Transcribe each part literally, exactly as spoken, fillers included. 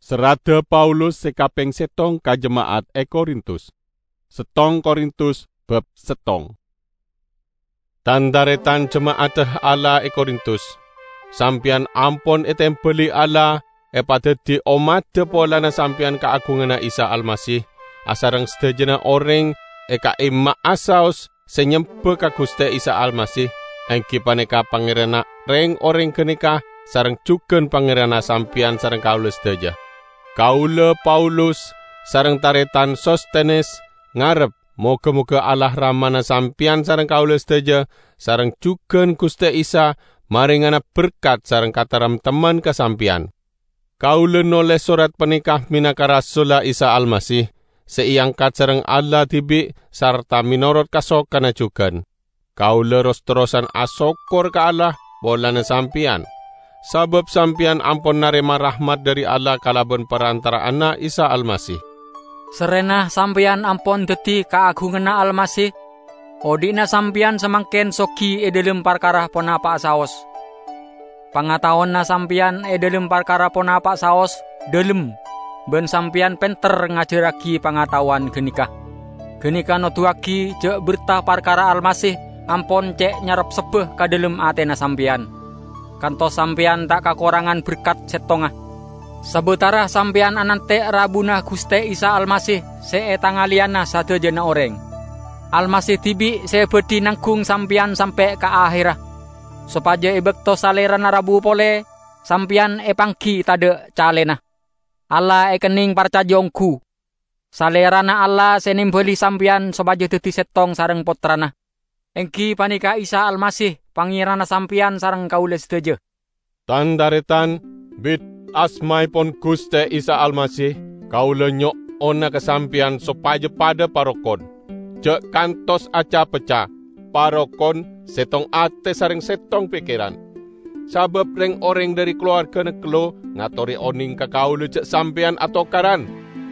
Serradda Paulus sè kapèng sèttong ka jema'at è Korintus. Sèttong Korintus bab sèttong. Tan-tarètan jema'adda Allah è Korintus, sampèyan ampon ètèmbhâli Allah, èpadhâddhi ommaddhâ polana sampèyan kaagunganna Isa Almasih, asareng sadhâjâna orèng è ka'imma'a saos sè nyembâ ka Ghustè Isa Almasih, èngghi panèka Pangèranna rèng-orèng ghânèka sareng jhughân Pangèranna sampèyan sareng kaulâ sadhâjâ. Kaulâ, Paulus, sareng tarètan Sostenes ngarep, moghâ-moghâ Allah Ramana sampèyan sareng kaulâ sadhâjâ, sareng jhughân Ghustè Isa, marèngana berkat sareng kataremtemman ka sampèyan. Kaulâ nolès sorat panèka mènangka rasulla Isa Almasih, sè èangkat sareng Allah dhibi' sarta mènorot kasokanna jhughân. Kaulâ ros-terrosan asokkor ka Allah polana sampèyan, sabâb sampèyan ampon narèma rahmat dhâri Allah kalabân parantara'anna Isa Almasih. Sarrèna sampèyan ampon dhâddhi kaagunganna Almasih, odi'na sampèyan samangkèn sogi è dhâlem parkara ponapa'a saos. Pangataowanna sampèyan è dhâlem parkara ponapa'a saos dhâlem, bân sampèyan pènter ngajhârraghi pangataowan ghânèka. Ghânèka noduwâghi jhâ' berta parkara Almasih ampon cè' nyarepsebbhâ ka dhâlem atèna sampèyan, kantos sampèyan ta' kakorangan berkat sèttonga. Sabâtara sampèyan anantè' rabuna Ghustè Isa Almasih sè ètangalèyana sadhâjâna orèng, Almasih dhibi' sè bhâdhi nangghung sampèyan sampè' ka ahèrra, sopajâ è bâkto Salèrana rabu polè, sampèyan èpangghi tadâ' calèna. Allah èkennèng parcajâ ongghu. Salèrana Allah sè nèmbhâli sampèyan sopajâ dhâddhi sèttong sareng Pottrana, èngghi panèka Isa Almasih, Pangèranna sampèyan sareng kaulâ sadhâjâ. Tan-tarètan, bit asmaèpon Ghustè Isa Almasih, kaulâ nyo'ona ka sampèyan sopajâ padâ parokon, jhâ' kantos aca-pecca, parokon, sèttong atè sareng sèttong pèkkèran. Sabâb rèng-orèng dhâri kalowarghâna Khlo ngatorè onèng ka kaulâ jhâ' sampèyan atokaran.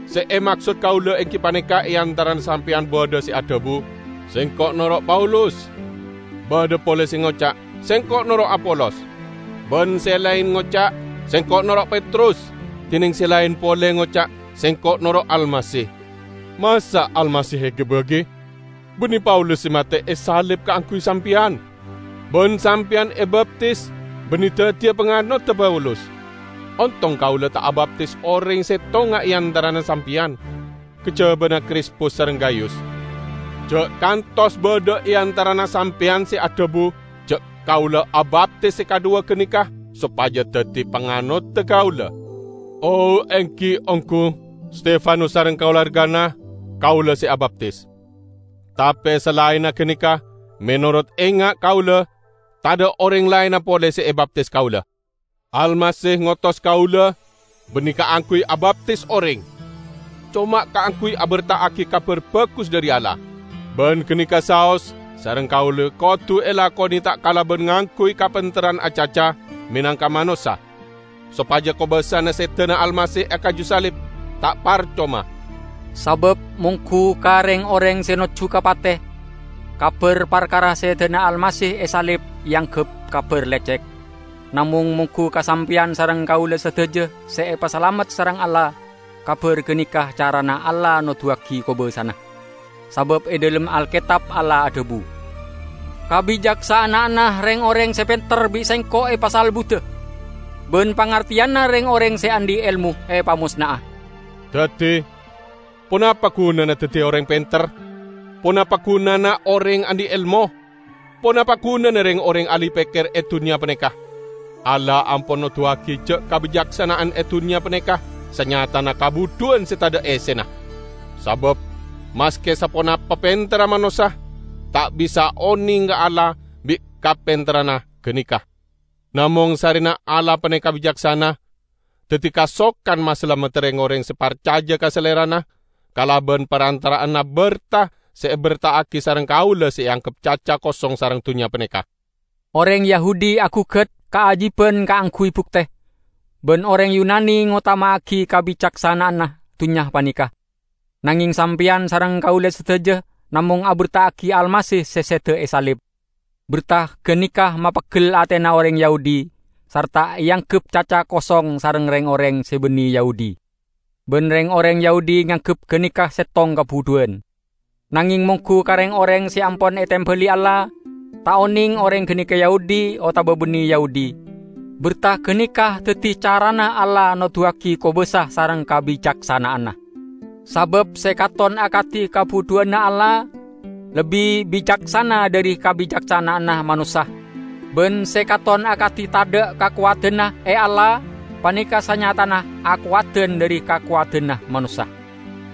Sè èmaksod kaulâ èngghi panèka è antarana sampèyan bâdâ sè adhâbu, "Sèngko' noro' Paulus." Bâdâ polè sè ngoca', "Sèngko' noro' Apolos." Bân sè laèn ngoca', "Sèngko' noro' Petrus." Dinèng sè laèn polè ngoca', "Sèngko' noro' Almasih." Masa' Almasih èghâbâghi? Bânnè Paulus sè matè èsalib kaangghuy sampèyan, bân sampèyan èbaptis bânnè dhâddhiyâ panganoddhâ Paulus. Ontong kaulâ ta' abaptis orèng sèttonga è antarana sampèyan, kajhâbhâna Krispus sareng Gayus. Jhâ' kantos bâdâ è antarana sampèyan sè adhâbu jhâ' kaulâ abaptis sè kadhuwâ ghânèka sopajâ dhâddhi panganoddhâ kaulâ. Oh, èngghi ongghu, Stefanus sareng kalowarghâna kaulâ sè abaptis. Tapè salaènna ghânèka, mènorot enga' kaulâ, tadâ' orèng laènna polè sè èbaptis kaulâ. Almasih ngotos kaulâ bânnè kaangghuy abaptis orèng, coma kaangghuy aberta'aghi Kabhâr Bhâghus dhâri Allah. Bân ghânèka saos sareng kaulâ kodhu èlakonè ta' kalabân ngangghuy kapènterran acaca mènangka manossa, sopajâ kobâsana sèdhâna Almasih è kaju salib ta' parcoma. Sabâb mongghu ka rèng-orèng sè nojjhu ka patè, kabhâr parkara sèdhâna Almasih èsalib èangghep kabhâr lècèk. Namong mongghu ka sampèyan sareng kaulâ sadhâjâ sè èpasalamet sareng Allah, kabhâr ghânèka carana Allah noduwâghi kobâsana. Sabâb è dhâlem Alkètab Allah adhâbu, "Kabicaksana'anna rèng-orèng sè pènter bi' Sèngko' èpasalbudhâ, bân pangartèyanna rèng-orèng sè andi' èlmo èpamosna'a." Dhâddhi, ponapa ghunana dhâddhi orèng pènter? Ponapa ghunana orèng andi' èlmo? Ponapa ghunana rèng-orèng ahli pèkkèr è dhunnya panèka? Allah ampon noduwâghi jhâ' kabicaksana'an è dhunnya panèka sanyatana kabudhuwân sè tadâ' èssèna. Sabâb, maskè saponapa pènterra manossa, ta' bisa onèng ka Allah bi' kapènterranna ghânèka. Namong sarèna Allah panèka bicaksana, dhâddhi kasokan masalamet rèng-orèng sè parcajâ ka Salèrana kalabân parantara'anna bhertah sè èbherta'aghi sareng kaulâ sè èangghep caca kosong sareng dhunnya panèka. Orèng Yahudi aghugât kaajhibhân kaangghuy buktè, bân orèng Yunani ngotama'aghi kabicaksana'anna dhunnya panèka. Nangèng sampèyan sareng kaulâ sadhâjâ namong abherta'aghi Almasih sè sèdhâ èsalib. Bhertah ghânèka mapeggel atèna orèng Yahudi, sarta èangghep caca kosong sareng rèng-orèng sè bânnè Yahudi. Bân reng-oreng Yahudi nganggep ganeka settong kabudhuwân. Nangeng mongghu ka reng-oreng se ampon etembali Allah, ta' oneng oreng ganeka Yahudi otaba banne Yahudi. Berta ganeka daddi carana Allah noduwagi kobasa sareng kabicaksana'anna. Sabab se katon akadi kabudhuwanna Allah lebbi bicaksana dhari kabicaksana'anna manossa, ban se katon akadi tadha' kakowadanna e Allah paneka sanyatana akowadan dhari kakowadanna manossa.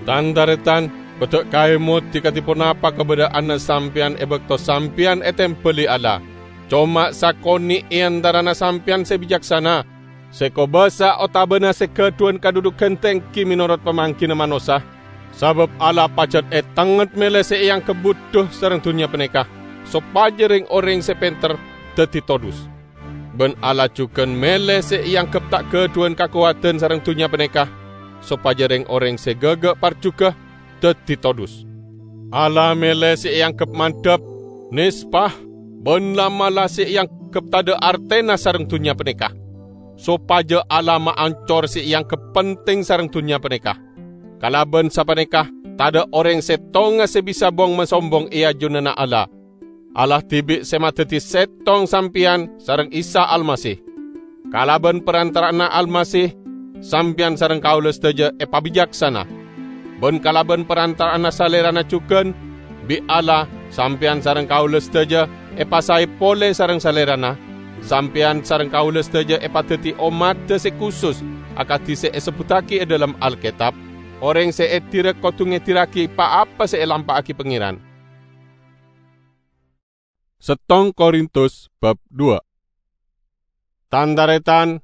Tan-taretan, kodhu kaemodi kadi ponapa kabadha'anna sampeyan e bakto sampeyan etembali Allah. Coma sakone' e antarana sampeyan se bicaksana, se kobasa otabana se gadhuwan kadhudhugan tenggi menorot pamanggina manossa, sabab Allah pajat etengnget mele se eanggep budhu sareng dunnya paneka, sopaja reng-oreng se penter daddi todhus. Ban Allah jugan mele se eanggep ta' gadhuwan kakowadan sareng dunnya paneka, sopaja reng-oreng se gaga parjuga daddi todhus. Allah mele se eanggep mandhap, nespa, ban la'-mala' se eanggep tadha' artena sareng dunnya paneka, sopaja Allah maancor se eanggep penting sareng dunnya paneka. Kalaban sapaneka, tadha' oreng settonga se bisa bong-masombong e ajunanna Allah. Allah dibi' se madaddi settong sampeyan sareng Isa Almasih. Kalaban parantara'anna Almasih, sampeyan sareng kaula sadaja epabicaksana. Ban kalaban parantara'anna Salerana jugan, bi' Allah, sampeyan sareng kaula sadaja epasae pole sareng Salerana. Sampeyan sareng kaula sadaja epadaddi ommadda se kusus, akadi se esebbuttagi e dhalem Alketab, "Oreng se edira kodu ngedirragi pa-apa se elampa'agi Pangeran." Settong Korintus bab dua. Tan-taretan,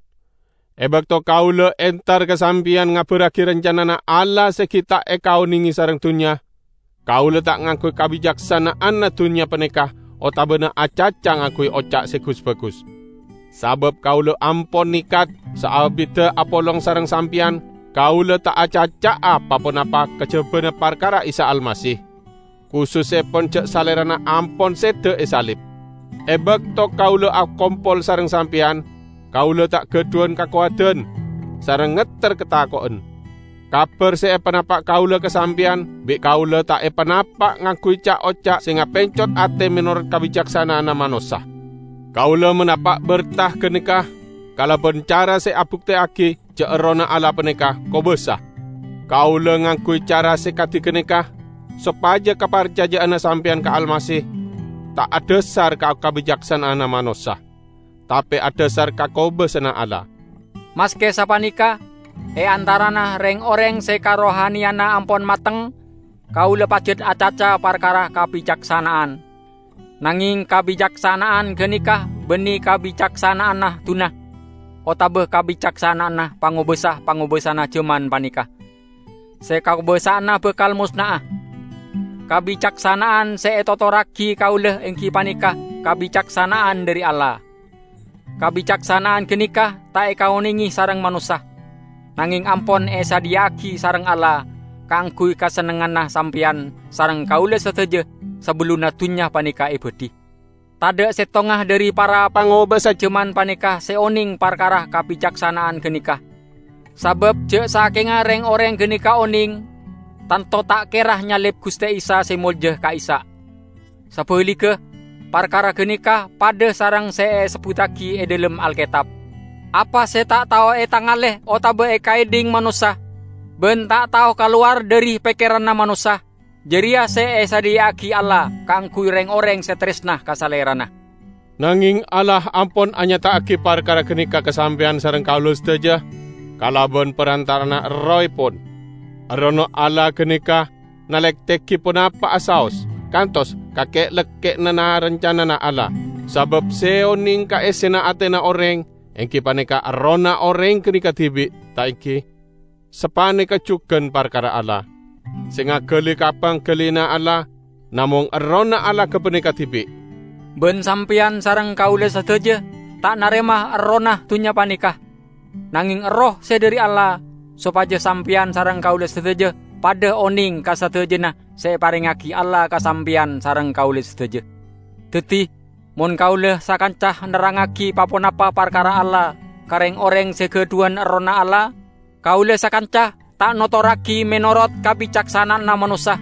e bakto kaula entar ka sampeyan ngabarragi rancanana Allah se gi' ta' ekaonenge sareng dunnya, kaula ta' ngangguy kabicaksana'anna dunnya paneka otabana acaca ngangguy oca' se gus-bagus. Sabab kaula ampon nekat, saabidda apolong sareng sampeyan, kaula ta' acaca'a pa-ponapa kajabana parkara Isa Almasih. Kusussepon ja' Salerana ampon seda esalib. E bakto kaula akompol sareng sampeyan, kaula ta' gadhuwan kakowadan sareng ngetter katako'en. Kabar se epanapa' kaula ka sampeyan bi' kaula ta' epanapa' ngangguy ca'-oca' se ngapencot ate menorot kabicaksana'anna manossa. Kaula manapa' berta ganeka kalaban cara se abukteyagi ja' Errohna Allah paneka kobasa. Kaula ngangguy cara se kadi ganeka sopaja kaparcaja'anna sampeyan ka Almasih ta' adhasar ka kabicaksana'anna manossa, tape adhasar ka kobasana Allah. Maske sapaneka, e antarana reng-oreng se karohaniyanna ampon mateng, kaula pajat acaca parkara kabicaksana'an. Nangeng kabicaksana'an ganeka banne kabicaksana'anna duna, otaba kabicaksana'anna pangobasa-pangobasana jaman paneka, se kakobasa'anna bakal mosna'a. Kabicaksana'an se etotorragi kaula enggi paneka kabicaksana'an dhari Allah. Kabicaksana'an ganeka ta' ekaonenge sareng manossa, nangeng ampon esadhiya'agi sareng Allah kaangguy kasennengnganna sampeyan sareng kaula sadaja sabellunna dunnya paneka ebadhi. Tadha' settonga dhari para pangobasa jaman paneka se oneng parkara kabicaksana'an ganeka. Sabab ja' sakenga reng-oreng ganeka oneng, tanto ta' kera nyalib Guste Isa se molja ka'issa'. Sabaligga, parkara ganeka padha sareng se esebbuttagi e dhalem Alketab, "Apa se ta' tao etangale otaba ekaedhing manossa, ban ta' tao kalowar dhari pekkeranna manossa, jareya se esadhiya'agi Allah kaangguy reng-oreng se taresna ka Salerana." Nangeng Allah ampon anyata'agi parkara ganeka ka sampeyan sareng kaula sadaja kalaban parantara'anna Errohepon. Errohna Allah ganeka nalektegi ponapa'a saos, kantos ka ke'-lekke'na na-, rancanana Allah. Sabab se oneng ka essena atena oreng, enggi paneka errohna oreng ganeka dibi', ta' enggi? Sapaneka jugan parkara Allah. Se ngagali ka panggalina Allah, namong errohna Allah gapaneka dibi'. Ban sampeyan sareng kaula sadaja ta' narema errohna dunnya paneka, nangeng Erroh se dhari Allah, sopaja sampeyan sareng kaula sadaja padha oneng ka sadajana se eparengngagi Allah ka sampeyan sareng kaula sadaja. Daddi, mon kaula sakanca nerrangngagi pa-ponapa parkara Allah ka reng-oreng se gadhuwan Errohna Allah, kaula sakanca ta' notorragi menorot kabicaksana'anna manossa,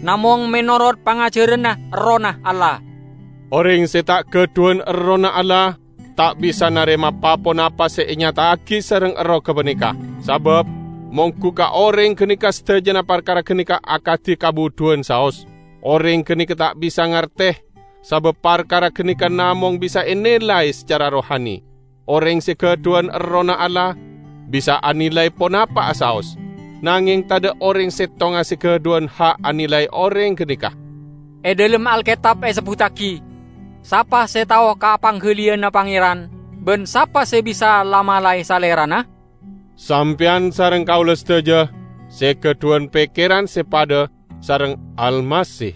namong menorot pangajhârânna Errohna Allah. Orèng sè ta' ghâdhuwân Errohna Allah ta' bisa narèma pa-ponapa sè ènyata'aghi sareng Erroh ghâpanèka, sabâb mongghu ka orèng ghânèka sadhâjâna parkara ghânèka akadhi kabudhuwân saos. Orèng ghânèka ta' bisa ngartè, sabâb parkara ghânèka namong bisa ènilai sacara rohani. Orèng sè ghâdhuwân Errohna Allah bisa anilai ponapa'a saos, nangèng tadhâ' orèng sèttonga sè ghâdhuwân ha' anilai orèng ghânèka. È dhâlem Alketab èsebbhuttaghi, "Sapa sè tao ka pangghâliyânna Pangèran, bân sapa sè bisa la-malaè Salèrana?" Sampèyan sareng kaulâ sadhâjâ sè ghâdhuwân pèkkèran sè padâ sareng Almasih.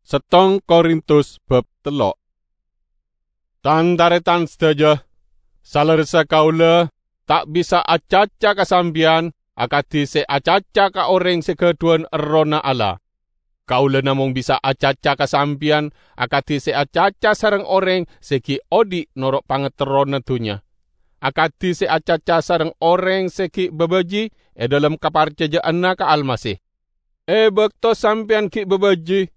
Settong Korintus bab tello'. Tan-tarètan sadhâjâ, salerressa kaulâ ta' bisa acaca ka sampèyan akadhi sè acaca ka orèng sè ghâdhuwân Errohna Allah. Kaulâ namong bisa acaca ka sampèyan akadhi sè acaca sareng orèng sè ghi' odhi' noro' pangaterrona dhunnya, akadhi sè acaca sareng orèng sè ghi' babâji è dhâlem kaparcajâ'ânna ka Almasih. È bâkto sampèyan ghi' babâji,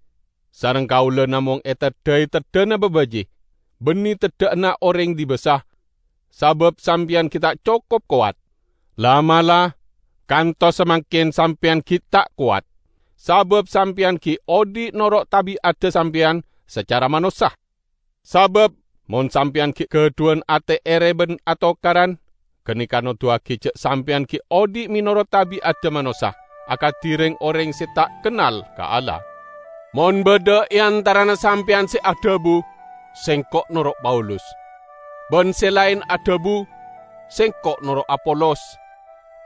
sareng kaulâ namong èteddhâi teddhâna babâji, bânnè teddhâ'ânna orèng dibâsa, sabâb sampèyan ghi' ta' cokop kowat. La'-mala', kantos samangkèn sampèyan ghi' ta' kowat, sabâb sampèyan ghi' odhi' noro' tabi'adda sampèyan sacara manossa. Sabâb mon sampèyan ghi' ghâdhuwân atè èrè bân atokaran, ghânèka noduwâghi jâ' sampèyan ghi' odhi' mènorot tabi'adda manossa, akadhi rèng-orèng sè ta' kennal ka Allah. Mon bâdâ è antarana sampèyan sè adhâbu, "Sèngko' noro' Paulus," bân sè laèn adhâbu, "Sèngko' noro' Apolos,"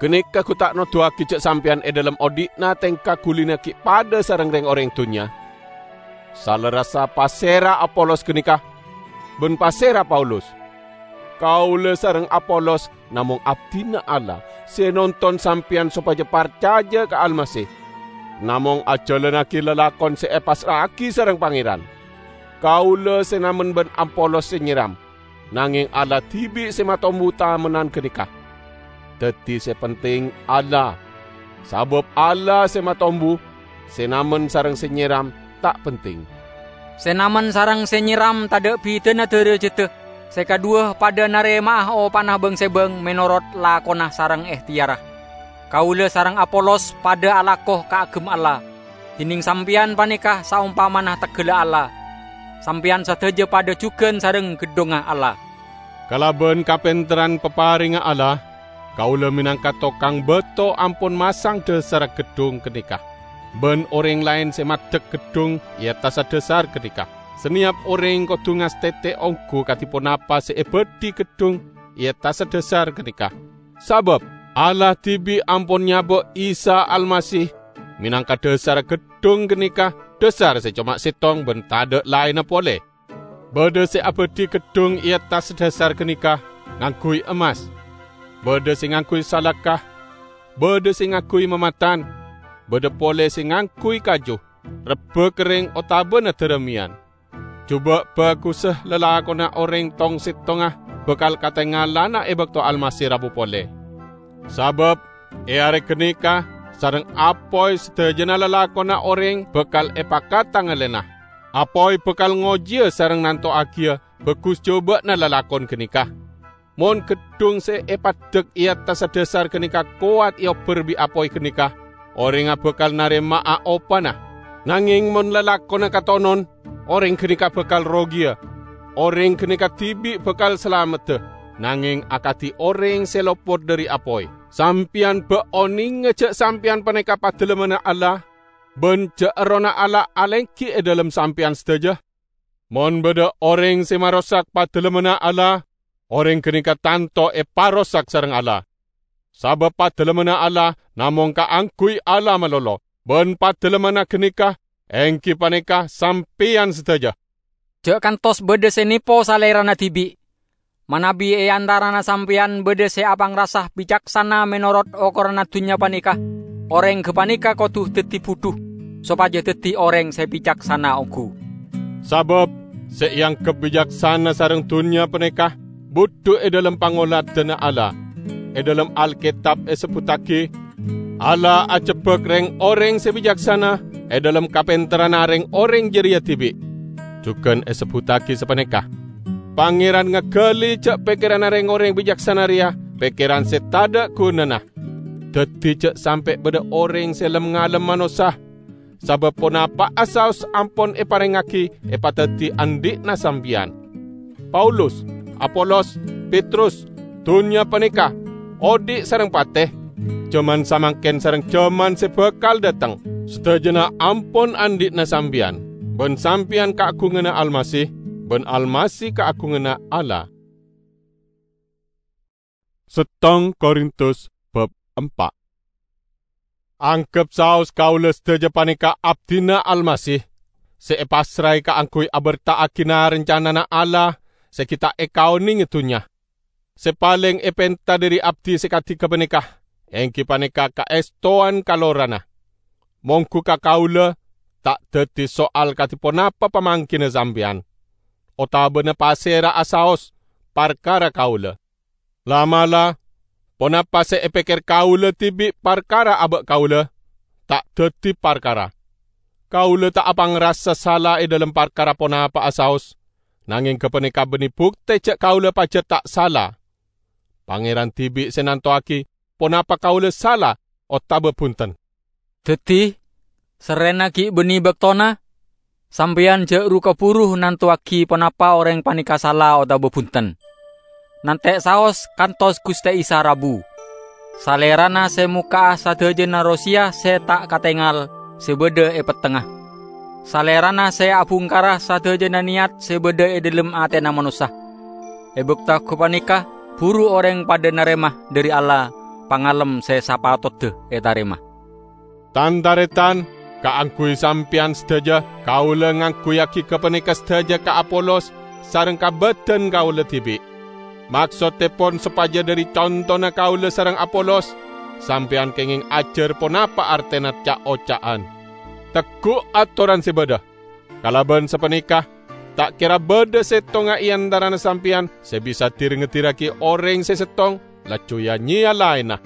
ghânèka ghu ta' noduwâghi jâ' sampèyan è dhâlem odhi'na tèngka ghulina ghi' padâ sareng rèng-orèng dhunnya? Salerressa pasèra Apolos ghânèka, bân pasèra Paulus? Kaulâ sareng Apolos namong abdhina Allah sè nonton sampèyan sopajâ parcajâ ka Almasih, namong ajhâlânnaghi lalakon sè èpassra'aghi sareng Pangèran. Kaulâ sè namen bân Apolos sè nyèram, nangèng Allah dhibi' sè matombu tamennan ghânèka. Dhâddhi sè penting Allah, sabâb Allah sè matombu, sè namen sareng sè nyèram ta' penting. Sè namen sareng sè nyèram tadhâ' bhidhâna dârâjhâddhâ, sè kadhuwâ padâ narèma'a opana bâng-sèbâng mènorot lakona sareng èhtèyarra. Kaulâ sareng Apolos padâ alako kaagem Allah. Dhinèng sampèyan panèka saompamana tegghâlla Allah. Sampèyan sadhâjâ padâ jhughân sareng gheddhongnga Allah. Kalabân kapènterran paparèngnga Allah, kaulâ mènangka tokang bâto ampon masang dhâsarra gheddhong ghânèka, bân orèng laèn sè maddhek gheddhong è attassa dhâsar ghânèka. Sanèyap orèng kodhu ngastètè ongghu kadhi ponapa sè èbâdhi gheddhong è attassa dhâsar ghânèka. Sabâb Allah dhibi' ampon nyabâ' Isa Almasih mènangka dhâsarra gheddhong ghânèka, dhâsar sè coma sèttong bân tadhâ' laènna polè. Bâdâ sè abâdhi gheddhong è attassa dhâsar ghânèka ngangghuy emmas, bâdâ sè ngangghuy salaka, bâdâ sè ngangghuy mamatan, bâdâ polè sè ngangghuy kaju, rebbhâ kerrèng otabâna dârâmèyan. Jhubâ' bhâghussa lalakonna orèng tong-sèttonga bhâkal katèngalana è bâkto Almasih rabu polè. Sabâb è arè ghânèka sareng apoy sadhâjâna lalakonna orèng bhâkal èpakata ngallèna. Apoy bhâkal ngojiyâ sareng nanto'aghiyâ bhâghus jhubâ'na lalakon ghânèka. Mon gheddhong sè èpaddhek è attassa dhâsar ghânèka kowat èobbhâr bi' apoy ghânèka, orèngnga bhâkal narèma'a opana. Nangèng mon lalakonna katonon, orèng ghânèka bhâkal rogiyâ. Orèng ghânèka dhibi' bhâkal salameddhâ, nangèng akadhi orèng sè lopot dhâri apoy. Sampèyan bâ' onènga jâ' sampèyan panèka Padalemmanna Allah, bân jâ' Errohna Allah alèngghi è dhâlem sampèyan sadhâjâ? Mon bâdâ orèng sè marosak Padalemmanna Allah, orèng ghânèka tanto èparosak sareng Allah. Sabâb Padalemmanna Allah namong kaangghuy Allah malolo, bân Padalemmanna ghânèka èngghi panèka sampèyan sadhâjâ. Jâ' kantos bâdâ sè nèpo salèrana dhibi'. Manabi è antarana sampèyan bâdâ sè apangrasa bicaksana mènorot okoranna dhunnya panèka, orèng ghâpanèka kodhu dhâddhi budhu, sopajâ dhâddhi orèng sè bicaksana ongghu. Sabâb sè èangghep bicaksana sareng dhunnya panèka budhu è dhâlem pangoladanna Allah. E dhalem Alketab esebbuttagi, "Allah ajebbhâk reng-oreng se bicaksana e dhalem kapenterranna reng-oreng jareya dibi'." Jugan esebbuttagi sapaneka, "Pangeran ngagali ja' pekkeranna reng-oreng bicaksana reya pekkeran se tadha' gunana." Daddi ja' sampe' badha oreng se lem-ngalem manossa, sabab ponapa'a saos ampon eparengngagi epadaddi andhi'na sampeyan. Paulus, Apolos, Petrus, dunnya paneka, odhi' sareng pate, jaman samangken sareng jaman se bakal dhateng, sadajana ampon andhi'na sampeyan, ban sampeyan kaagunganna Almasih, ban Almasih kaagunganna Allah. Settong Korintus bab empa'. Anggep saos kaula sadaja paneka abdina Almasih, se epassrae kaangguy aberta'agina rancanana Allah se gi' ta' ekaonenge dunnya. Se paleng epenta dhari abdi se kadi gapaneka, enggi paneka kaestowan kalorana. Monggu ka kaula, ta' daddi soal kadi ponapa pamanggina sampeyan, otabana pasera'a saos parkara kaula. La'-mala', ponapa se epekker kaula dibi' parkara aba' kaula, ta' daddi parkara. Kaula ta' apangrasa sala e dhalem parkara ponapa'a saos, nangeng gapaneka banne bukte ja' kaula pajat ta' sala. Pangeran dibi' se nantowagi ponapa kaula sala otaba bunten. Daddi, serrena gi' banne baktona, sampeyan ja' ru-kaburu nantowagi ponapa oreng paneka sala otaba bunten. Nante' saos kantos Guste Isa rabu. Salerana se mokka'a sadajana rosiya se ta' katengal se badha e pettengnga. Salerana se abungkara sadajana niyat se badha e dhalem atena manossa. E bakto gapaneka, buru oreng padha narema dhari Allah pangalem se sapatodda etarema. Tan-taretan, kaangguy sampeyan sadaja, kaula ngangguyyagi gapaneka sadaja ka Apolos sareng ka badan kaula dibi'. Maksoddepon sopaja dhari contona kaula sareng Apolos, sampeyan kengeng ajar ponapa artena ca'-oca'an. Teggu' atoran se badha. Kalaban sapaneka, ta' kera badha settonga e antarana sampeyan se bisa dir-ngedirragi oreng se settong, laju ya-nyeya laenna.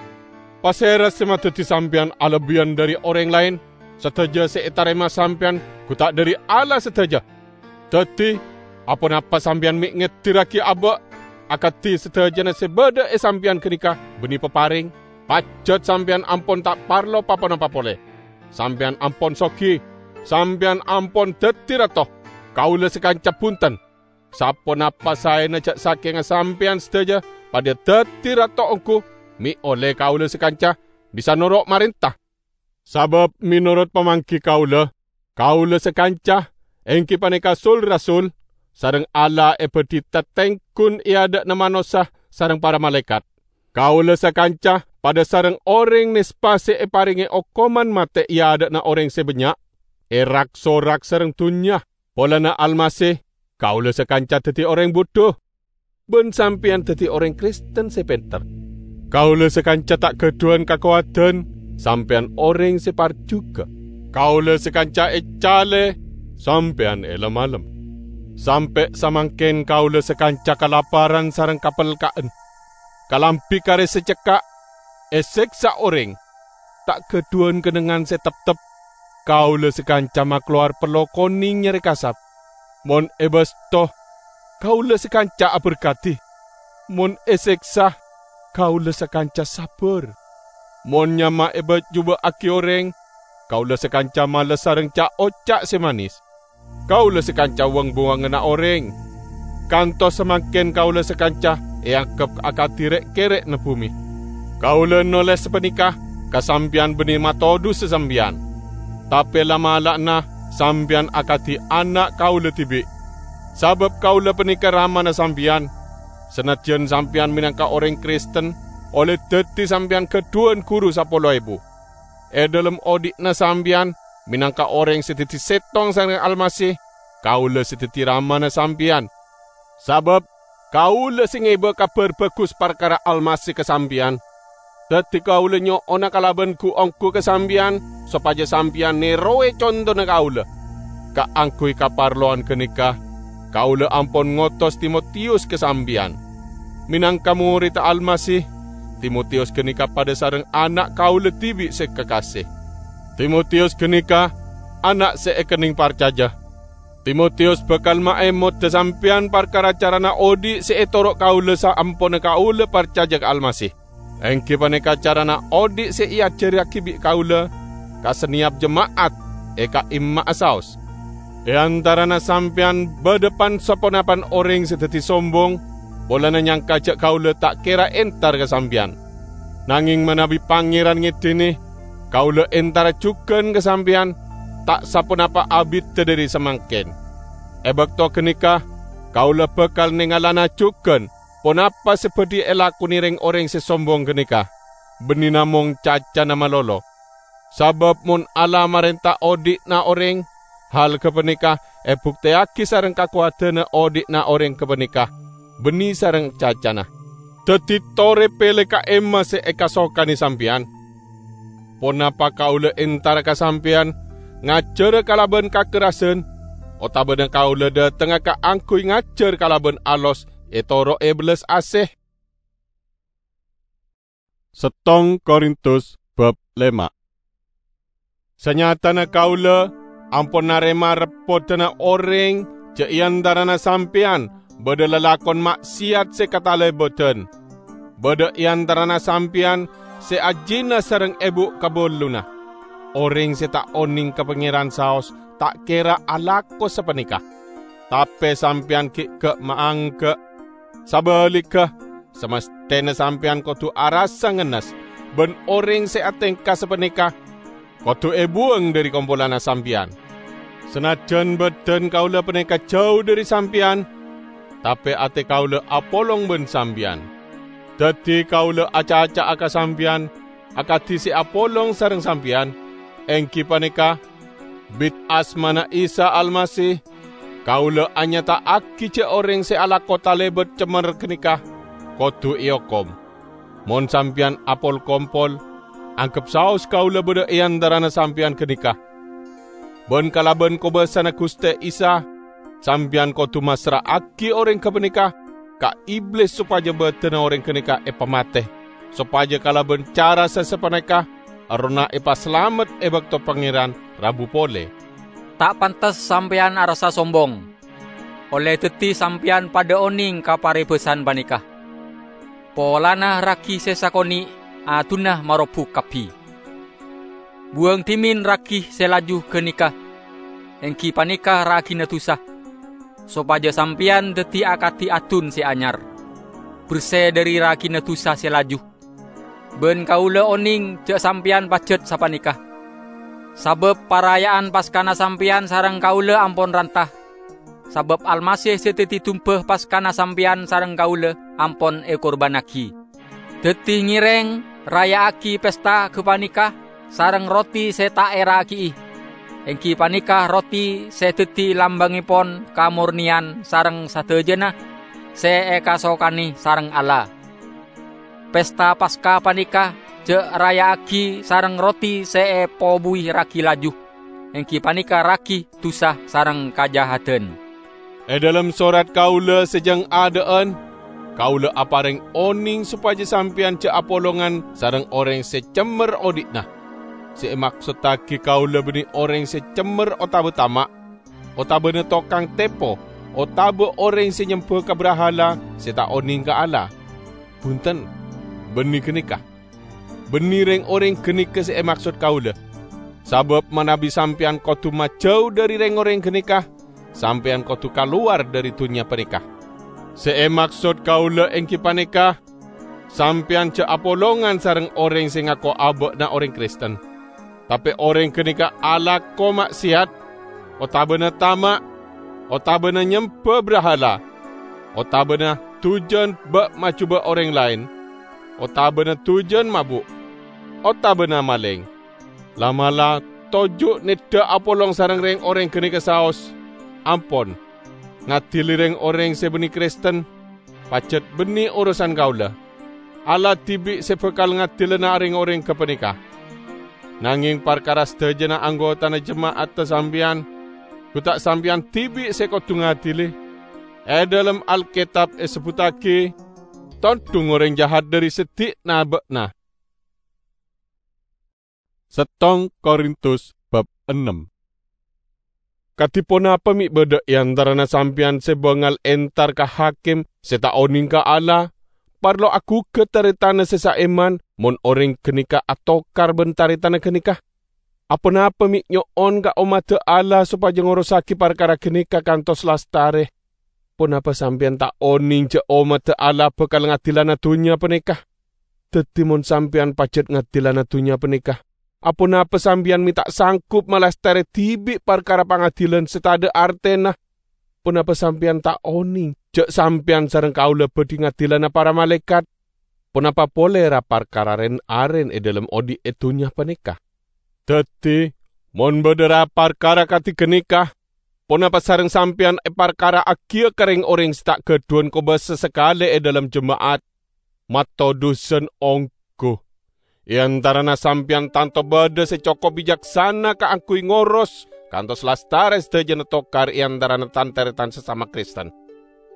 Pasera se madaddi sampeyan alebbiyan dhari oreng laen? Sadaja se etarema sampeyan gu ta' dhari Allah sadaja? Daddi, aponapa sampeyan me' ngedirragi aba' akadi sadajana se badha e sampeyan ganeka banne papareng? Pajat sampeyan ampon ta' parlo pa-ponapa pole. Sampeyan ampon sogi, sampeyan ampon daddi rato. Kaula sakanca bunten. Saponapa saena ja' sakenga sampeyan sadaja padha daddi rato onggu, me' olle kaula sakanca bisa noro' marenta? Sabab menorot pamanggi kaula, kaula sakanca, enggi paneka sul-rasul, sareng Allah ebadhi tatenggun e adha'na manossa sareng para malaekat. Kaula sakanca padha sareng oreng nespa se eparenge okoman mate e adha'na oreng se bannya', erak-sorak sareng dunnya. Polana Almasih, kaula sakanca daddi oreng budhu, ban sampeyan daddi oreng Kristen se penter. Kaula sakanca ta' gadhuwan kakowadan, sampeyan oreng se parjuga. Kaula sakanca ecale, sampeyan elem-alem. Sampe' samangken kaula sakanca kalaparan sareng kapelka'an. Kalambi kare se cekka', eseksa oreng, ta' gadhuwan kennengngan se teptep. Kaula sakanca makalowar pello koneng nyare kasap. Mon ebasto, kaula sakanca aberkadi. Mon eseksa, kaula sakanca sabbar. Mon nyama ebajuba'agi oreng, kaula sakanca males sareng ca'-oca' se manes. Kaula sakanca wang-buwanganna oreng. Kantos samangken kaula sakanca eanggep akadi re'-kere'na bume. Kaula noles sapaneka ka sampeyan banne matodhusa sampeyan. Tape la'-mala'anna sampeyan akadi ana' kaula dibi', sabab kaula paneka ramana sampeyan. Sanajjan sampeyan menangka oreng Kristen olle daddi sampeyan gadhuwan guru sapolo ebu. E dhalem odhi'na sampeyan, menangka oreng se daddi settong sareng Almasih, kaula se daddi ramana sampeyan. Sabab kaula se ngeba Kabar Bagus parkara Almasih ka sampeyan. Daddi kaula nyo'ona kalaban gu-onggu ka sampeyan, sopaja sampeyan nerowe contona kaula. Kaangguy kaparlowan ganeka, kaula ampon ngotos Timotiyus ka sampeyan. Menangka moredda Almasih, Timotiyus ganeka padha sareng ana' kaula dibi' se kakase. Timotiyus ganeka ana' se ekenneng parcaja. Timotiyus bakal maemoda sampeyan parkara carana odhi' se etoro' kaula saamponna kaula parcaja ka Almasih, enggi paneka carana odhi' se eajarragi bi' kaula ka saneyap jema'at e ka'imma'a saos. E antarana sampeyan badha pan-saponapan oreng se daddi sombong, polana nyangka ja' kaula ta' kera entar ka sampeyan. Nangeng manabi Pangeran ngedine, kaula entara jugan ka sampeyan, ta' saponapa abidda dhari samangken. E bakto ganeka, kaula bakal nengalana jugan ponapa se badhi elakone reng-oreng se sombong ganeka, banne namong cacana malolo. Sabab mon Allah marenta odhi'na oreng, hal gapaneka ebukteyagi sareng kakowadanna odhi'na oreng gapaneka, banne sareng cacana. Daddi tore pele ka'imma se ekasokane sampeyan. Ponapa kaula entara ka sampeyan ngajara kalaban kakerrasan, otabana kaula dhatengnga kaangguy ngajar kalaban alos etoro'e bellas ase? Settong Korintus bab lema. Sanyatana kaula ampon narema reppodana oreng ja' e antarana sampeyan badha lalakon ma'siyat se katalebadan. Badha e antarana sampeyan se ajina sareng ebu' kaballuna. Oreng se ta' oneng ka Pangeran saos ta' kera alako sapaneka. Tape sampeyan gi' ga'-maangga'. Sabaligga, samastena sampeyan kodu arassa ngennes, ban oreng se atengka sapaneka kodu ebuwang dhari kompolanna sampeyan. Sanajjan badan kaula paneka jau dhari sampeyan, tape ate kaula apolong ban sampeyan. Daddi kaula acaca'a ka sampeyan akadi se apolong sareng sampeyan, enggi paneka, bit asmana Isa Almasih, kaula anyata'agi ja' oreng se alako talebat cemmer ganeka kodu eokom. Mon sampeyan apol-kompol, anggep saos kaula badha e antarana sampeyan ganeka. Ban kalaban kobasana Guste Isa, sampeyan kodu massra'agi oreng gapaneka ka Iblis sopaja badanna oreng ganeka epamate, sopaja kalaban cara se sapaneka errohna epasalamet e bakto Pangeran rabu pole. Ta' pantes sampeyan arassa sombong, olle daddi sampeyan padha oneng ka parebasan paneka. Polana ragi se sakone' adunna marobu kabbi. Buwang dhimen ragi se laju ganeka, enggi paneka ragina dusa, sopaja sampeyan daddi akadi adun se anyar, berse dhari ragina dusa se laju. Ban kaula oneng ja' sampeyan pajat sapaneka, sabab paraya'an Paskana sampeyan sareng kaula ampon ranta, sabab Almasih se daddi dumba Paskana sampeyan sareng kaula ampon ekurbannagi. Daddi ngereng raya'agi pesta gapaneka sareng roti se ta' eragi'i, enggi paneka roti se daddi lambangepon kamorneyan sareng sadajana se ekasokane sareng Allah. Pesta Paska paneka ja' raya'agi sareng roti se epobuwi ragi laju, enggi paneka ragi dusa sareng kajahadan. E dhalem sorat kaula se jang adha'an, kaula apareng oneng sopaja sampeyan ja' apolongan sareng oreng se cemmer odhi'na. Se emaksottagi kaula banne oreng se cemmer otaba tama', otabana tokang tepo, otaba oreng se nyemba ka brahala se ta' oneng ka Allah. Bunten, banne ganeka. Banne reng-oreng ganeka se emaksod kaula. Sabab manabi sampeyan kodu majau dhari reng-oreng ganeka, sampeyan kodu kalowar dhari dunnya paneka. Se emaksod kaula enggi paneka, sampeyan ja' apolongan sareng oreng se ngako aba'na oreng Kristen, tape oreng ganeka alako ma'siyat, otabana tama', otabana nyemba brahala, otabana dujan ba'-majuba' oreng laen, otabana dujan mabu', otabana maleng. La'-mala' toju' neddha apolong sareng reng-oreng ganeka saos, "Ampon, ngadili reng-oreng se banne Kristen, pajat banne orosan kaula. Allah dibi' se bakal ngadilana reng-oreng gapaneka." Nangeng parkara sadajana anggotana jema'adda sampeyan, gu ta' sampeyan dibi' se kodu ngadili? E dhalem Alketab esebbuttagi, ètondhung orèng jahat dhâri seddi'na bâ'na. Settong Korintus bab ennem. Kadhi ponapa mè' bâdâ è antarana sampèyan sè bângal entar ka hakim sè ta' onèng ka Allah, parlo aghugât tarètanna sè saèman mon orèng ghânèka atokar bân tarètanna ghânèka? Aponapa mè' nyo'on ka ommadda Allah sopajâ ngorossaghi parkara ghânèka kantos lastarè? Ponapa sampèyan ta' onèng jâ' ommadda Allah bhâkal ngadilana dhunnya panèka? Dhâddhi, mon sampèyan pajhât ngadilana dhunnya panèka, aponapa sampèyan mè' ta' sanggup malastarè dhibi' parkara pangadilân sè tadâ' artèna? Ponapa sampèyan ta' onèng jâ' sampèyan sareng kaulâ bhâdhi ngadilana para malaèkat? Ponapa polè ra parkara ren-arèn è dhâlem odi' è dhunnya panèka? Dhâddhi, mon bâdâ ra parkara kadhi ghânèka, ponapa sareng sampèyan èparkara'aghiyâ ka rèng-orèng sè ta' ghâdhuwân kobâsa sakalè è dhâlem jema'at? Mato dhusan ongghu! È antarana sampèyan tanto bâdâ sè cokop bicaksana kaangghuy ngoros kantos lastarè sadhâjâna tokar è antarana tan-tarètan sasama Kristen.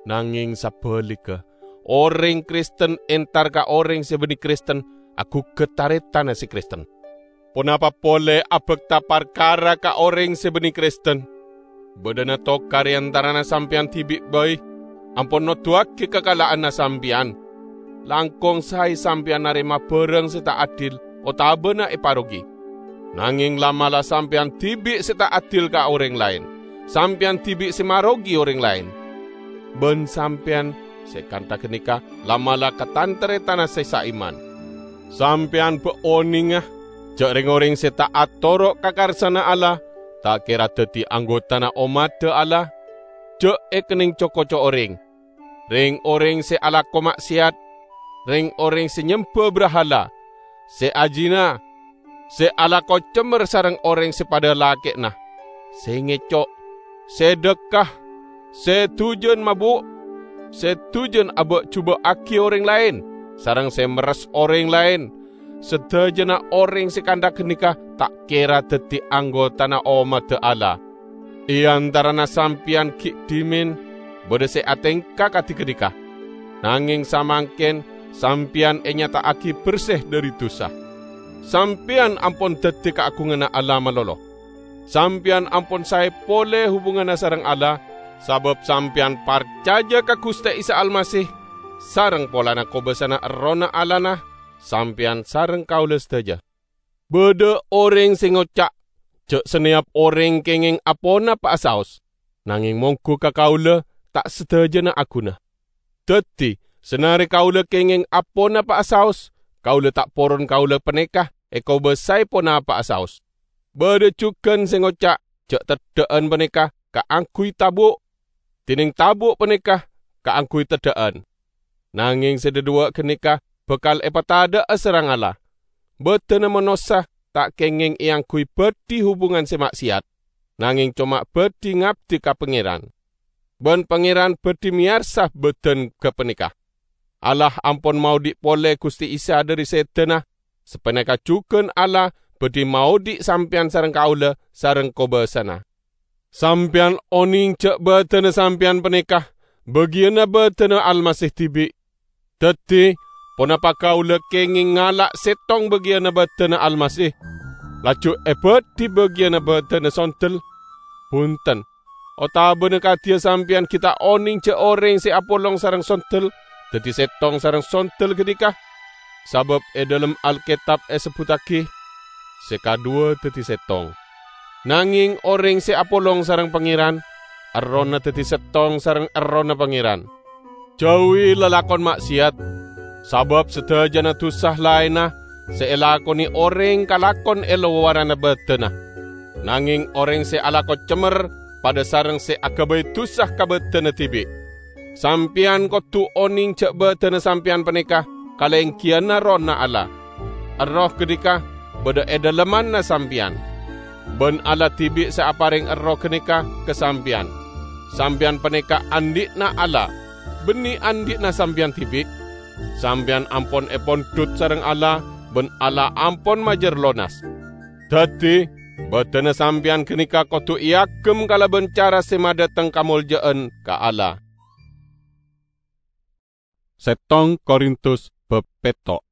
Nangèng sabhâligghâ, orèng Kristen entar ka orèng sè bânnè Kristen aghugât tarètanna sè Kristen. Ponapa polè abhâkta parkara ka orèng sè bânnè Kristen? Bâdâna tokar è antarana sampèyan dhibi' bhâi ampon noduwâghi kakala'anna sampèyan. Langkong saè sampèyan narèma bhârâng sè ta' adil otabâna èparogi. Nangèng la'-mala' sampèyan dhibi' sè ta' adil ka orèng laèn, sampèyan dhibi' sè marogi orèng laèn. Bân sampèyan sè kantha ghânèka la'-mala' ka tan-tarètanna sè saèman. Sampèyan bâ' onènga jâ' rèng-orèng sè ta' atoro' ka karsana Allah ta' kèra dhâddhi anggotana ommadda Allah. Jâ' èkennèng co-koco orèng, rèng-orèng sè alako ma'sèyat, rèng-orèng sè nyembâ brahala, sè ajina, sè alako cemmer sareng orèng sè padâ lakè'na, sè ngèco', sè dâkka, sè dujân mabu', sè dujân abâ'-jubâ'âghi orèng laèn, sareng sè merres orèng laèn. Sadhâjâna orèng sè kantha ghânèka ta' kèra dhâddhi anggotana ommadda Allah. È antarana sampèyan ghi' dhimèn bâdâ sè atèngka kadhi ghânèka. Nangèng samangkèn sampèyan ènyata'aghi bersè dhâri dhusa. Sampèyan ampon dhâddhi kaagunganna Allah malolo. Sampèyan ampon saè polè hubunganna sareng Allah, sabâb sampèyan parcajâ ka Ghustè Isa Almasih, sareng polana kobâsana Errohna Allahna, sampèyan sareng kaulâ sadhâjâ. Bâdâ orèng sè ngoca' jâ' sanèyap orèng kèngèng aponapa'a saos, nangèng mongghu ka kaulâ ta' sadhâjâna aghuna. Dhâddhi, sanarè kaulâ kèngèng aponapa'a saos, kaulâ ta' poron kaulâ panèka èkobâsaè ponapa'a saos. Bâdâ jhughân sè ngoca' jâ' teddhâ'ân panèka kaangghuy tabu', dhinèng tabu' panèka kaangghuy teddhâ'ân. Nangèng sè dhâduwâ' ghânèka bhâkal èpatadhâ'â sareng Allah. Bâdâna manossa ta' kèngèng èangghuy bâdhi hubungan sè ma'sèyat, nangèng coma bâdhi ngabdi ka Pangèran. Bân Pangèran bâdhi mèyarsa bâdân ghâpanèka. Allah ampon maodi' polè Ghustè Isa dhâri sèdânna, sapanèka jhughân Allah bâdhi maodi' sampèyan sareng kaulâ sareng kobâsana. Sampèyan onèng jâ' bâdânna sampèyan panèka bâgiyânna bâdânna Almasih dhibi'. Dhâddhi, ponapa kaulâ kèngèng ngala' sèttong bâgiyânna bâdânna Almasih, laju èbâdhi bâgiyânna bâdânna sondel? Bhunten! Otabâna kadhiyâ sampèyan ghi' ta' onèng jâ' orèng sè apolong sareng sondel dhâddhi sèttong sareng sondel ghânèka? Sabâb è dhâlem Alkètab èsebbhuttaghi, "Sè kadhuwâ dhâddhi sèttong." Nangèng orèng sè apolong sareng Pangèran, errohna dhâddhi sèttong sareng errohna Pangèran. Jhâuwi lalakon ma'sèyat, sabâb sadhâjâna dhusa laènna sè èlakonè orèng kalakon è lowaranna bâdânna. Nangèng orèng sè alako cemmer padâ sareng sè aghâbây dhusa ka bâdânna dhibi'. Sampèyan kodhu onèng jâ' bâdânna sampèyan panèka kalèngghiyânna Errohna Allah. Erroh ghânèka bâdâ è dhâlemmanna sampèyan. Bân Allah dhibi' sè aparèng Erroh ghânèka ka sampèyan. Sampèyan panèka andi'na Allah, bânnè andi'na sampèyan dhibi'. Sampèyan ampon èpondhut sareng Allah, bân Allah ampon majâr lonas. Dhâddhi, bâdânna sampèyan ghânèka kodhu èagem kalabân cara sè madhâteng kamoljâ'ân ka Allah. Settong Korintus bab petto'.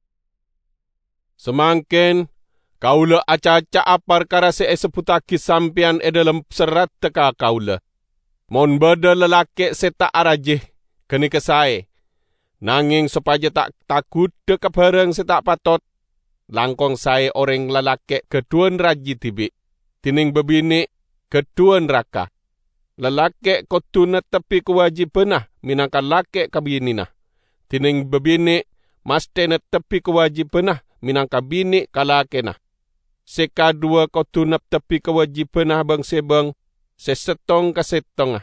Samangken kaula acaca'a parkara se esebbuttagi sampeyan e dhalem serradda ka kaula. Mon badha lalake' se ta' araji, ganeka sae. Nangeng sopaja ta' tagudha ka barang se ta' patot, langkong sae oreng lalake' gadhuwan raji dibi', dineng babine' gadhuwan raka. Lalake' kodu nettebbi kawajibana menangka lake' ka binena, dineng babine' masthe nettebbi kawajibana menangka bine' ka lakena. Se kadhuwa kodu nettebbi kawajibana bang-sebang se settong ka settonga.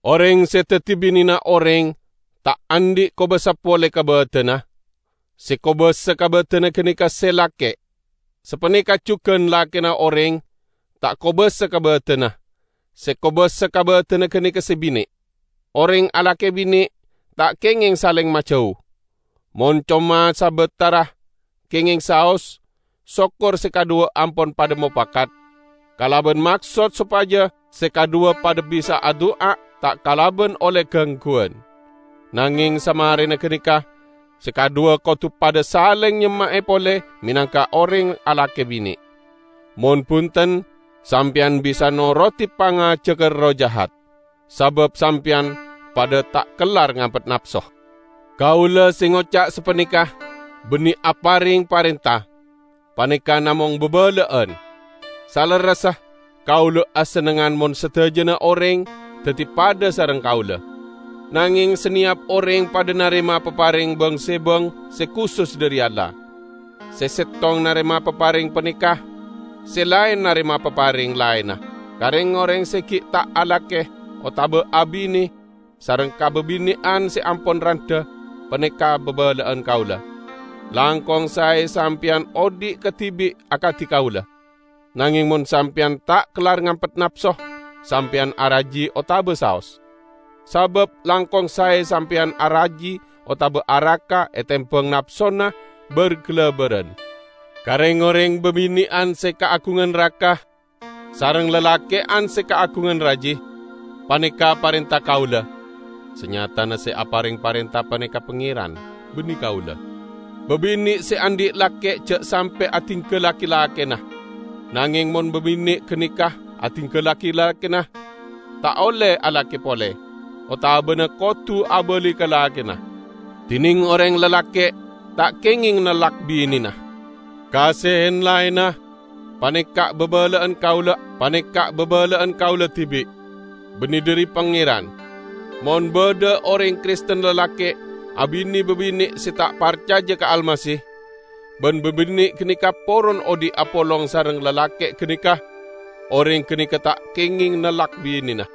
Oreng se daddi binena oreng ta' andhi' kobasa pole ka badanna. Se kobasa ka badanna ganeka se lake'. Sapaneka jugan lakena oreng ta' kobasa ka badanna. Se kobasa ka badanna ganeka se bine'. Oreng alake bine' ta' kengeng saleng majau. Mon coma sabatara kengeng saos, sokor se kadhuwa ampon padha mopakat, kalaban maksod sopaja se kadhuwa padha bisa adu'a ta' kalaban olle gangguwan. Nangeng samarena ganeka, se kadhuwa kodu padha saleng nyemma'e pole menangka oreng alake bine'. Mon bunten, sampeyan bisa norodi pangajagga erroh jahat, sabab sampeyan padha ta' kellar ngampet napso. Kaula se ngoca' sapaneka banne apareng parenta, paneka namong babala'an. Salerressa, kaula asennengan mon sadajana oreng daddi padha sareng kaula. Nangeng saneyap oreng padha narema papareng bang-sebang se kusus dhari Allah. Se settong narema papareng paneka, se laen narema papareng laenna. Ka reng-oreng se gi' ta' alake otaba abine sareng kababine'an se ampon randha, paneka babala'an kaula. Langkong sae sampeyan odhi' kadibi' akadi kaula. Nangeng mon sampeyan ta' kellar ngampet napso, sampeyan araji otaba saos. Sabab langkong sae sampeyan araji otaba araka etembang napsona bar-galabaran. Ka reng-oreng babine'an se kaagungan raka, sareng lalake'an se kaagungan raji, paneka parenta kaula. Sanyatana se apareng parenta paneka Pangeran, banne kaula. Babine' se andhi' lake ja' sampe' adinggallagi lakena. Nangeng mon babine' ganeka adinggallagi lakena, ta' olle alake pole, otabana kodu abali ka lakena. Dineng oreng lalake' ta' kengeng nellak binena. Ka se laenna, paneka babala'an kaula, paneka babala'an kaula dibi', banne dhari Pangeran. Mon badha oreng Kristen lalake' abine babine' se ta' parcaja ka Almasih, ban babine' ganeka poron odhi' apolong sareng lalake' ganeka, oreng ganeka ta' kengeng nellak binena.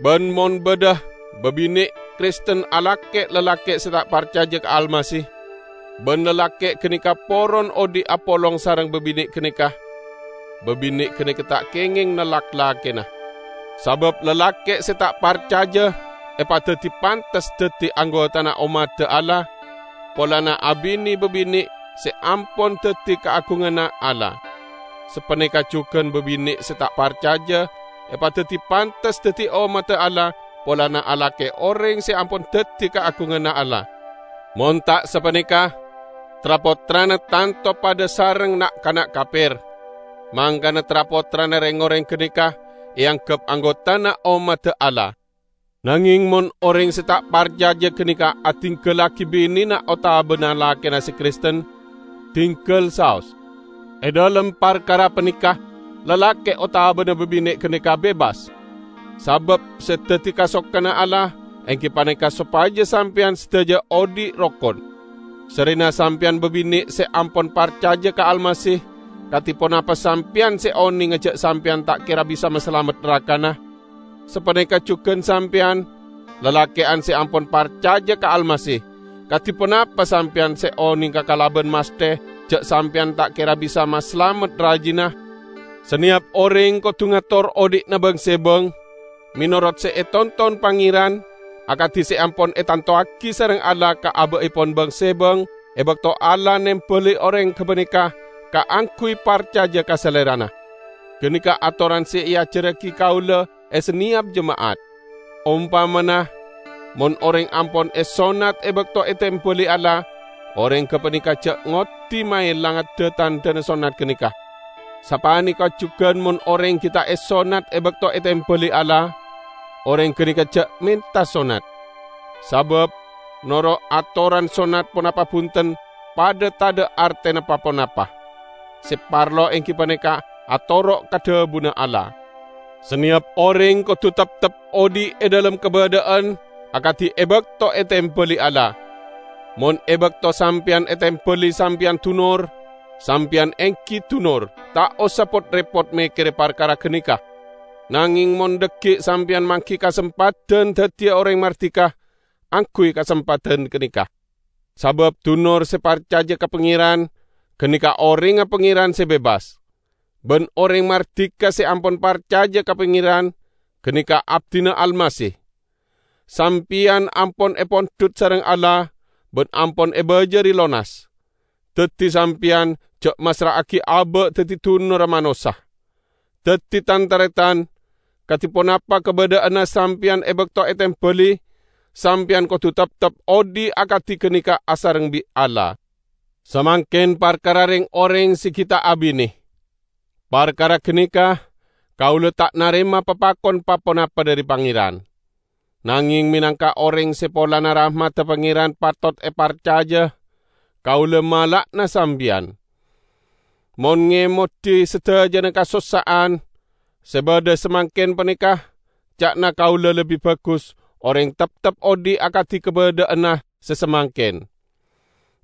Ban mon badha babine' Kristen alake' lalake' se ta' parcaja ka Almasih, ban lalake' ganeka poron odhi' apolong sareng babine' ganeka, babine' ganeka ta' kengeng nellak lakena. Sabab lalake' se ta' parcaja epadaddi pantes daddi anggotana ommadda Allah, polana abine babine' se ampon daddi kaagunganna Allah. Sapaneka jugan babine' se ta' parcaja epadaddi pantes daddi ommadda Allah polana alake' oreng se ampon daddi kaagunganna Allah. Mon ta' sapaneka, tra-pottrana tanto padha sareng na'-kana' kaper. Mangkana tra-pottrana reng-oreng ganeka eanggep anggotana ommadda Allah. Nangeng mon oreng se ta' parcaja ganeka adinggallagi binena otabana lakena se Kristen, dinggal saos. E dhalem parkara paneka, lalake' otabana babine' ganeka bebas. Sabab se daddi kasokanna Allah enggi paneka sopaja sampeyan sadaja odhi' rokon. Sarrena sampeyan babine' se ampon parcaja ka Almasih, kadi ponapa sampeyan se onenga ja' sampeyan ta' kera bisa masalamet rakana? Sapaneka jugan sampeyan, lalake'an se ampon parcaja ka Almasih, kadi ponapa sampeyan se onenga kalaban masthe ja' sampeyan ta' kera bisa masalamet rajina? Saneyap oreng kodu ngator odhi'na bang-sebang, menorot se etonton Pangeran, akadi se ampon etantowagi sareng Allah ka aba'epon bang-sebang e bakto Allah nembali oreng gapaneka kaangguy parcaja ka Salerana. Ganeka atoran se eajarragi kaula e saneyap jema'at. Ompamana, Mon oreng ampon esonnat e bakto etembali Allah, oreng gapaneka ja' ngoddi maelanga dha-tandhana sonnat ganeka. Sapaneka jugan mon oreng ghi' ta' esonnat e bakto etembali Allah, oreng ganeka ja' menta sonnat. Sabab noro' atoran sonnat ponapa bunten padha tadha' artena pa-ponapa. Se parlo enggi paneka atoro' ka dhabuna Allah. Saneyap oreng kodu teptep odhi' e dhalem kabadha'an akadi e bakto etembali Allah. Mon e bakto sampeyan etembali sampeyan dunor, sampeyan enggi dunor, ta' osa pot-repot mekkere parkara ganeka. Nangeng mon dhaggi' sampeyan manggi kasempadhan daddiya oreng mardika, angguy kasempadhan ganeka. Sabab dunor se parcaja ka Pangeran, ganeka orengnga Pangeran se bebas. Ban oreng mardika se ampon parcaja ka Pangeran, ganeka abdina Almasih. Sampeyan ampon epondhut sareng Allah ban ampon ebajari lonas. Daddi sampeyan ja' massra'agi aba' daddi dunorra manossa. Daddi, tan-taretan, kadi ponapa kabadha'anna sampeyan e bakto etembali, sampeyan kodu teptep odhi' akadi ganeka asareng bi' Allah. Samangken parkara reng-oreng se ghi' ta' abine. Parkara ganeka, kaula ta' narema papakon pa-ponapa dhari Pangeran. Nangeng menangka oreng se polana rahmadda Pangeran patot eparcaja, kaula mala'ana sampeyan. Mon ngemodi sadajana kasossa'an se badha samangken paneka, ca'na kaula lebbi bagus oreng teptep odhi' akadi kabadha'anna se samangken.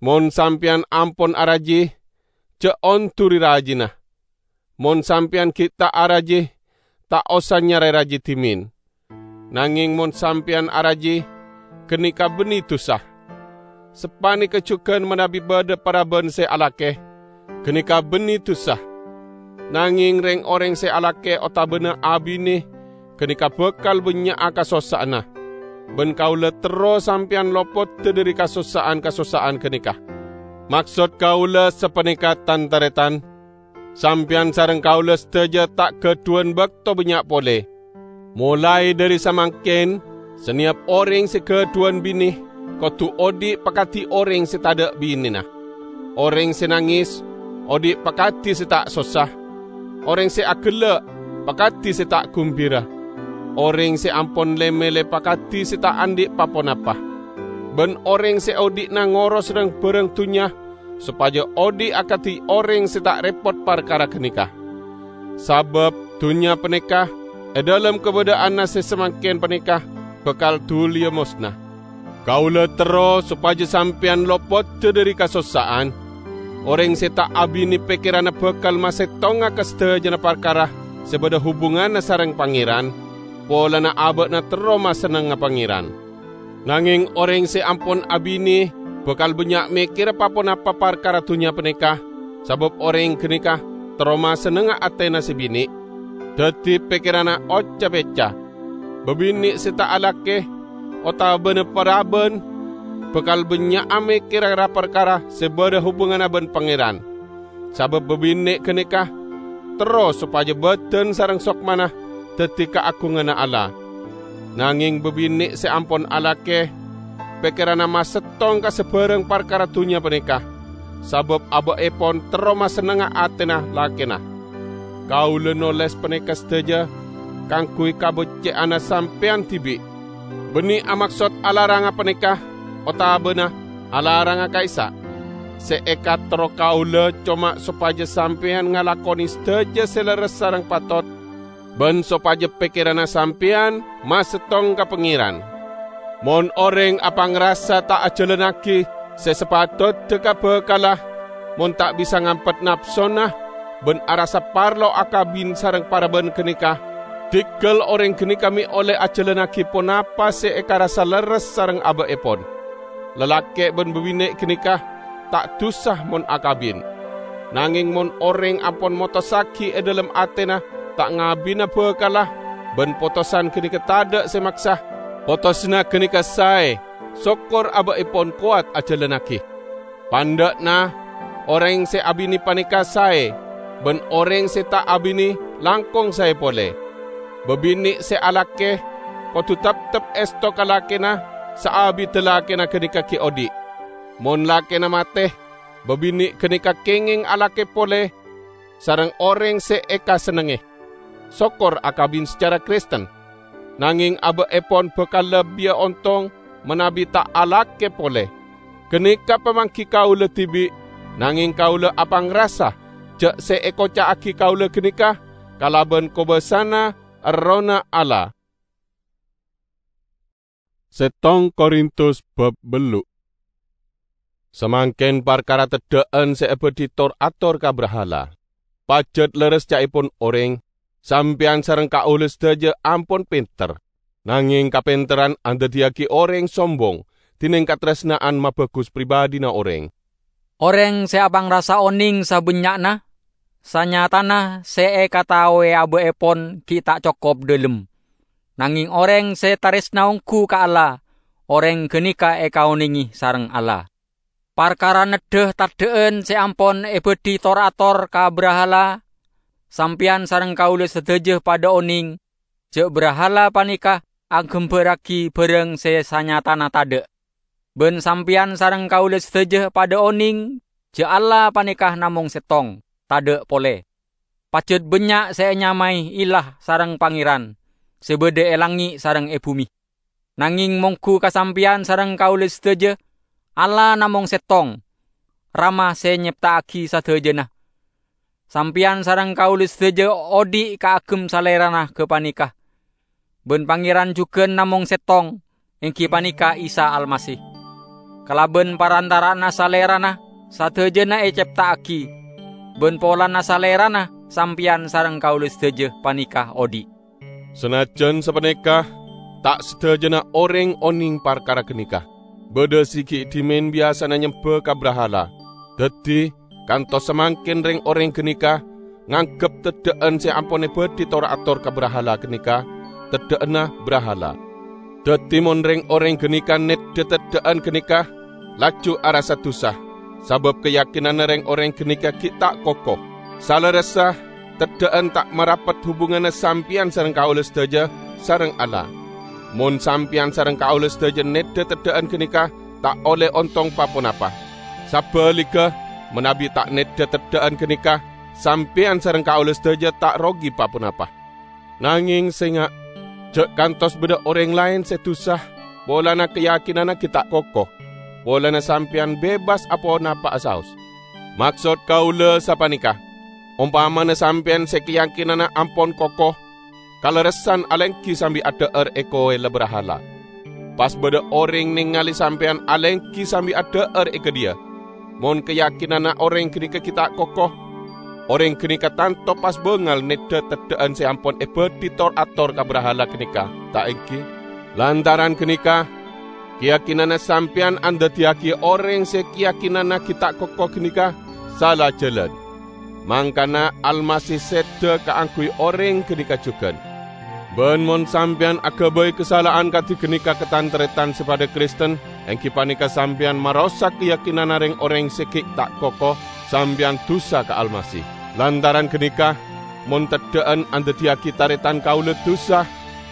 Mon sampeyan ampon araji, ja' onduri rajina. Mon sampeyan ghi' ta' araji, ta' osa nyare raji dhimen. Nangeng mon sampeyan araji, ganeka banne dusa. Sapaneka jugan manabi badha paraban se alake, ganeka banne dusa. Nangeng reng-oreng se alake otabana abine ganeka bakal bannya'a kasossa'anna, ban kaula terro sampeyan lopodda dhari kasossa'an-kasossa'an ganeka. Maksod kaula sapaneka, tan-taretan, sampeyan sareng kaula sadaja ta' gadhuwan bakto bannya' pole. Molae dhari samangken, saneyap oreng se gadhuwan bine kodu odhi' pakadi oreng se tadha' binena. Oreng se nanges, odhi' pakadi se ta' sossa. Oreng se agella', pakadi se ta' gumbira. Oreng se ampon le-mele pakadi se ta' andhi' pa-ponapa. Ban oreng se odhi'na ngoros rang-barang dunnya, sopaja odhi' akadi oreng se ta' repot parkara ganeka. Sabab dunnya paneka, e dhalem kabadha'anna se samangken paneka, bakal duliya mosna. Kaula terro sopaja sampeyan lopodda dhari kasossa'an. Oreng se ta' abine pekkeranna bakal masettonga ka sadajana parkara se badha hubunganna sareng Pangeran, polana aba'na terro masennengnga Pangeran. Nangeng oreng se ampon abine bakal bannya' mekkera pa-ponapa parkara dunnya paneka, sabab oreng ganeka terro masennengnga atena se bine. Daddi pekkeranna oca-peca. Babine' se ta' alake otabana paraban bakal bannya'a mekkera ra-parkara se badha hubunganna ban Pangeran. Sabab babine' ganeka terro sopaja badan sareng sokmana daddi kaagunganna Allah. Nangeng babine' se ampon alake, pekkeranna masettong ka sabarang parkara dunnya paneka, sabab aba'epon terro masennengnga atena lakena. Kaula noles paneka sadaja kaangguy kabecce'anna sampeyan dibi', banne amaksod alaranga paneka otabana alaranga ka'issa'. Se ekaterro kaula coma sopaja sampeyan ngalakone sadaja se lerres sareng patot, ban sopaja pekkeranna sampeyan masettong ka Pangeran. Mon oreng apangrasa ta' ajalannagi se sapatodda ka bakalla, mon ta' bisa ngampet napsona, ban arassa parlo akabin sareng paraban ganeka, dinggal oreng ganeka me' olle ajalannagi ponapa se ekarassa lerres sareng aba'epon. Lalake' ban babine' ganeka ta' dusa mon akabin. Nangeng mon oreng ampon motossagi e dhalem atena ta' ngabina bakalla, ban potosan ganeka tadha' se maksa, potosanna ganeka sae, sokkor aba'epon kowat ajalannagi. Pandha'na, oreng se abine paneka sae, ban oreng se ta' abine langkong sae pole. Babine' se alake kodu teptep esto ka lakena saabidda lakèna ghânèka ghi' odhi'. Mon lakèna matè, babinè' ghânèka kèngèng alakè polè sareng orèng sè èkasennengngè. Sokor akabin sacara Kristen, nangèng abâ'èpon bhâkal labbiyâ ontong manabi ta' alakè polè. Ghânèka pamangghi kaulâ dhibi', nangèng kaulâ apangrasa jâ' sè èkoca'aghi kaulâ ghânèka kalabân kobâsana Errohna Allah. Settong Korintus bab bellu'. Samangkèn parkara teddhâ'ân sè èbâdhi tor-ator ka brahala. Pajhât lerres ca'èpon orèng, sampèyan sareng kaulâ sadhâjâ ampon pènter. Nangèng kapènterran andaddhiyâghi orèng sombong, dhinèng katarèsna'an mabhâghus pribadhina orèng. Orèng sè apangrasa onèng sabânnya'na, sanyatana sè èkataowè abâ'èpon ghi' ta' cokop dhâlem. Nangèng orèng sè tarèsna ongghu ka Allah, orèng ghânèka èkaonèngè sareng Allah. Parkara neddhâ teddhâ'ân sè ampon èbâdhi tor-ator ka brahala, sampèyan sareng kaulâ sadhâjâ padhâ onèng jâ' brahala panèka aghâmbhârraghi bhârâng sè sanyatana tadhâ'. Bân sampèyan sareng kaulâ sadhâjâ padhâ onèng jâ' Allah panèka namong settong, tadhâ' polè. Pajhât bânnya' sè ènyamaè ilah sareng pangèran, sè bâdâ è langngè' sareng è bhumè. Nangèng mongghu ka sampèyan sareng kaulâ sadhâjâ, Allah namong settong, Rama sè nyèpta'aghi sadhâjâna. Sampèyan sareng kaulâ sadhâjâ odhi' kaagem Salèrana ghâpanèka. Bân Pangèran jhughân namong settong, èngghi panèka Isa Almasih. Kalabân parantara'anna Salèrana, sadhâjâna ècèpta'aghi, bân polana Salèrana sampèyan sareng kaulâ sadhâjâ panèka odhi'. Sanajjân sapanèka, ta' sadhâjâna orèng onèng parkara ghânèka. Bâdâ sè ghi' dhimèn biyasana nyembhâ ka brahala. Dhâddhi, kantos samangkèn rèng-orèng ghânèka nganggep teddhâ'ân sè ampon èbâdhi tor-ator ka brahala ghânèka teddhâ'ânna brahala. Dhâddhi, mon rèng-orèng ghânèka neddhâ teddhâ'ân ghânèka, laju arassa dusa, sabâb kayakinanna rèng-orèng ghânèka ghi' ta' koko. Salerressa, teddhâ'ân ta' marapet hubunganna sampèyan sareng kaulâ sadhâjâ sareng Allah. Mon sampèyan sareng kaulâ sadhâjâ neddhâ teddhâ'ân ghânèka, ta' ollè ontong pa-ponapa. Sabhâligghâ, manabi ta' neddhâ teddhâ'ân ghânèka, sampèyan sareng kaulâ sadhâjâ ta' rogi pa-ponapa. Nangèng sènga', jâ' kantos bâdâ orèng laèn sè dusa polana kayakinanna ghi' ta' koko, polana sampèyan bebas aponapa'a saos. Maksod kaulâ sapanèka: ompamana sampèyan sè kayakinanna ampon koko, kalerressan alèngghi sambi adhâ'âr è kowèlla brahala. Pas bâdâ orèng nèngalè sampèyan alèngghi sambi adhâ'âr è kadhiyâ. Mon kayakinanna orèng ghânèka ghi' ta' koko, orèng ghânèka tanto pas bângal neddhâ teddhâ'ân sè ampon èbâdhi tor-ator ka brahala ghânèka, ta' èngghi? Lantaran ghânèka, kayakinanna sampèyan andaddhiyâghi orèng sè kayakinanna ghi' ta' koko ghânèka sala jhâlân. Mangkana Almasih sèdhâ kaangghuy orèng ghânèka jhughân. Bân mon sampèyan aghâbây kasala'an kadhi ghânèka ka tan-tarètan sè padâ Kristen, èngghi panèka sampèyan marosak kayakinanna rèng-orèng sè ghi' ta' koko, sampèyan dusa ka Almasih. Lantaran ghânèka, mon teddhâ'ân andaddhiyâghi tarètan kaulâ dusa,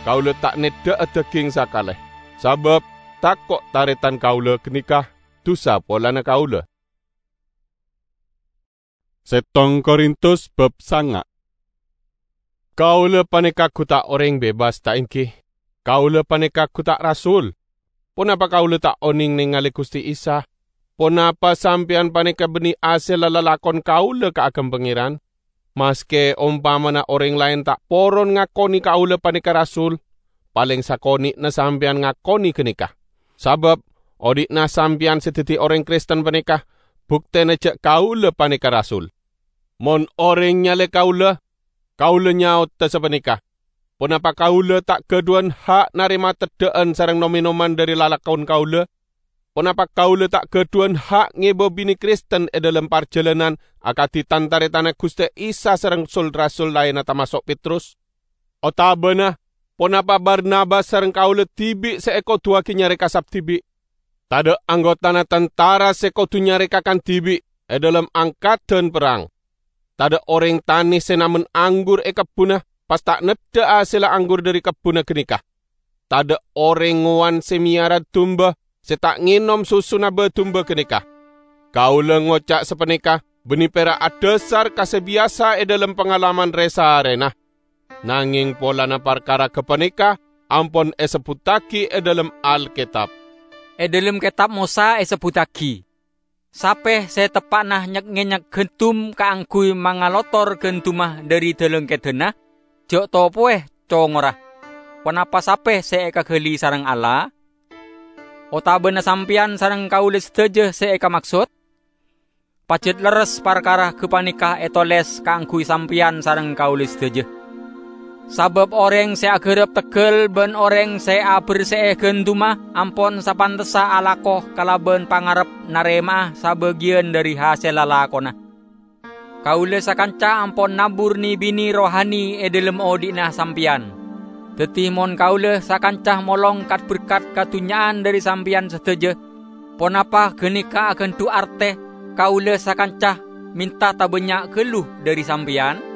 kaulâ ta' neddhâ'â dhâghing sakalè, sabâb tako' tarètan kaulâ ghânèka dusa polana kaulâ. Settong Korintus bab sanga'. Kaulâ panèka ghu ta' orèng bebas, ta' èngghi? Kaulâ panèka ghu ta' rasul. Ponapa kaulâ ta' onèng nèngalè Ghustè Isa? Ponapa sampèyan panèka bânnè hasèlla lalakon kaulâ kaagem Pangèran? Maskè ompamana orèng laèn ta' poron ngakonè kaulâ panèka rasul, palèng sakonè'na sampèyan ngakonè ghânèka. Sabâb, odhi'na sampèyan sè dhâddhi orèng Kristen panèka buktèna jâ' kaulâ panèka rasul. Mon orèng nyalè kaulâ, kaulâ nyaoda sapanèka: Ponapa kaulâ ta' ghâdhuwân ha' narèma teddhâ'ân sareng nom-ènoman dhâri lalakon kaulâ? Ponapa kaulâ ta' ghâdhuwân ha' ngèbâ binè Kristen è dhâlem parjhâlânan akadhi tan-tarètanna Ghustè Isa sareng sul-rasul laènna, tamaso' Petrus? Otabâna ponapa Barnabas sareng kaulâ dhibi' sè èkoduwâghi nyarè kasap dhibi'? Tadâ' anggotana tantara sè kodu nyarè kakan dhibi' è dhâlem angkaddhân perrang. Tadâ' orèng tanè sè namen anggur è kebbhunna pas ta' neddhâ hasèlla anggur dhâri kebbhunna ghânèka. tadha' oreng ngowan se meyara dumba se ta' ngenom susuna ba-dumba ganeka. Kaula ngoca' sapaneka banne pera' adhasar ka se biyasa e dhalem pangalaman re-sarena. Nangeng polana parkara gapaneka ampon esebbuttagi e dhalem Alketab. E dhalem Ketab Mosa esebbuttagi, "Sape se teppa'na nyek-ngenyek gandum kaangguy mangalotor gandumma dhari dhalangkeddhanna, ja' topowe congora. Ponapa sape se ekagali sareng Allah? Otabana sampeyan sareng kaula sadaja se ekamaksod?" Pajat lerres parkara gapaneka etoles kaangguy sampeyan sareng kaula sadaja. Sabab oreng se agarap teggal ban oreng se aberse'e gandumma ampon sapantessa alako kalaban pangarep narema'a sabagiyan dhari hasella lakona. Kaula sakanca ampon nabur ne-bine rohani e dhalem odhi'na sampeyan. Daddi, mon kaula sakanca molong kat-berkat kadunnya'an dhari sampeyan sadaja, ponapa ganeka agandhu' arte kaula sakanca menta tabannya' gallu dhari sampeyan?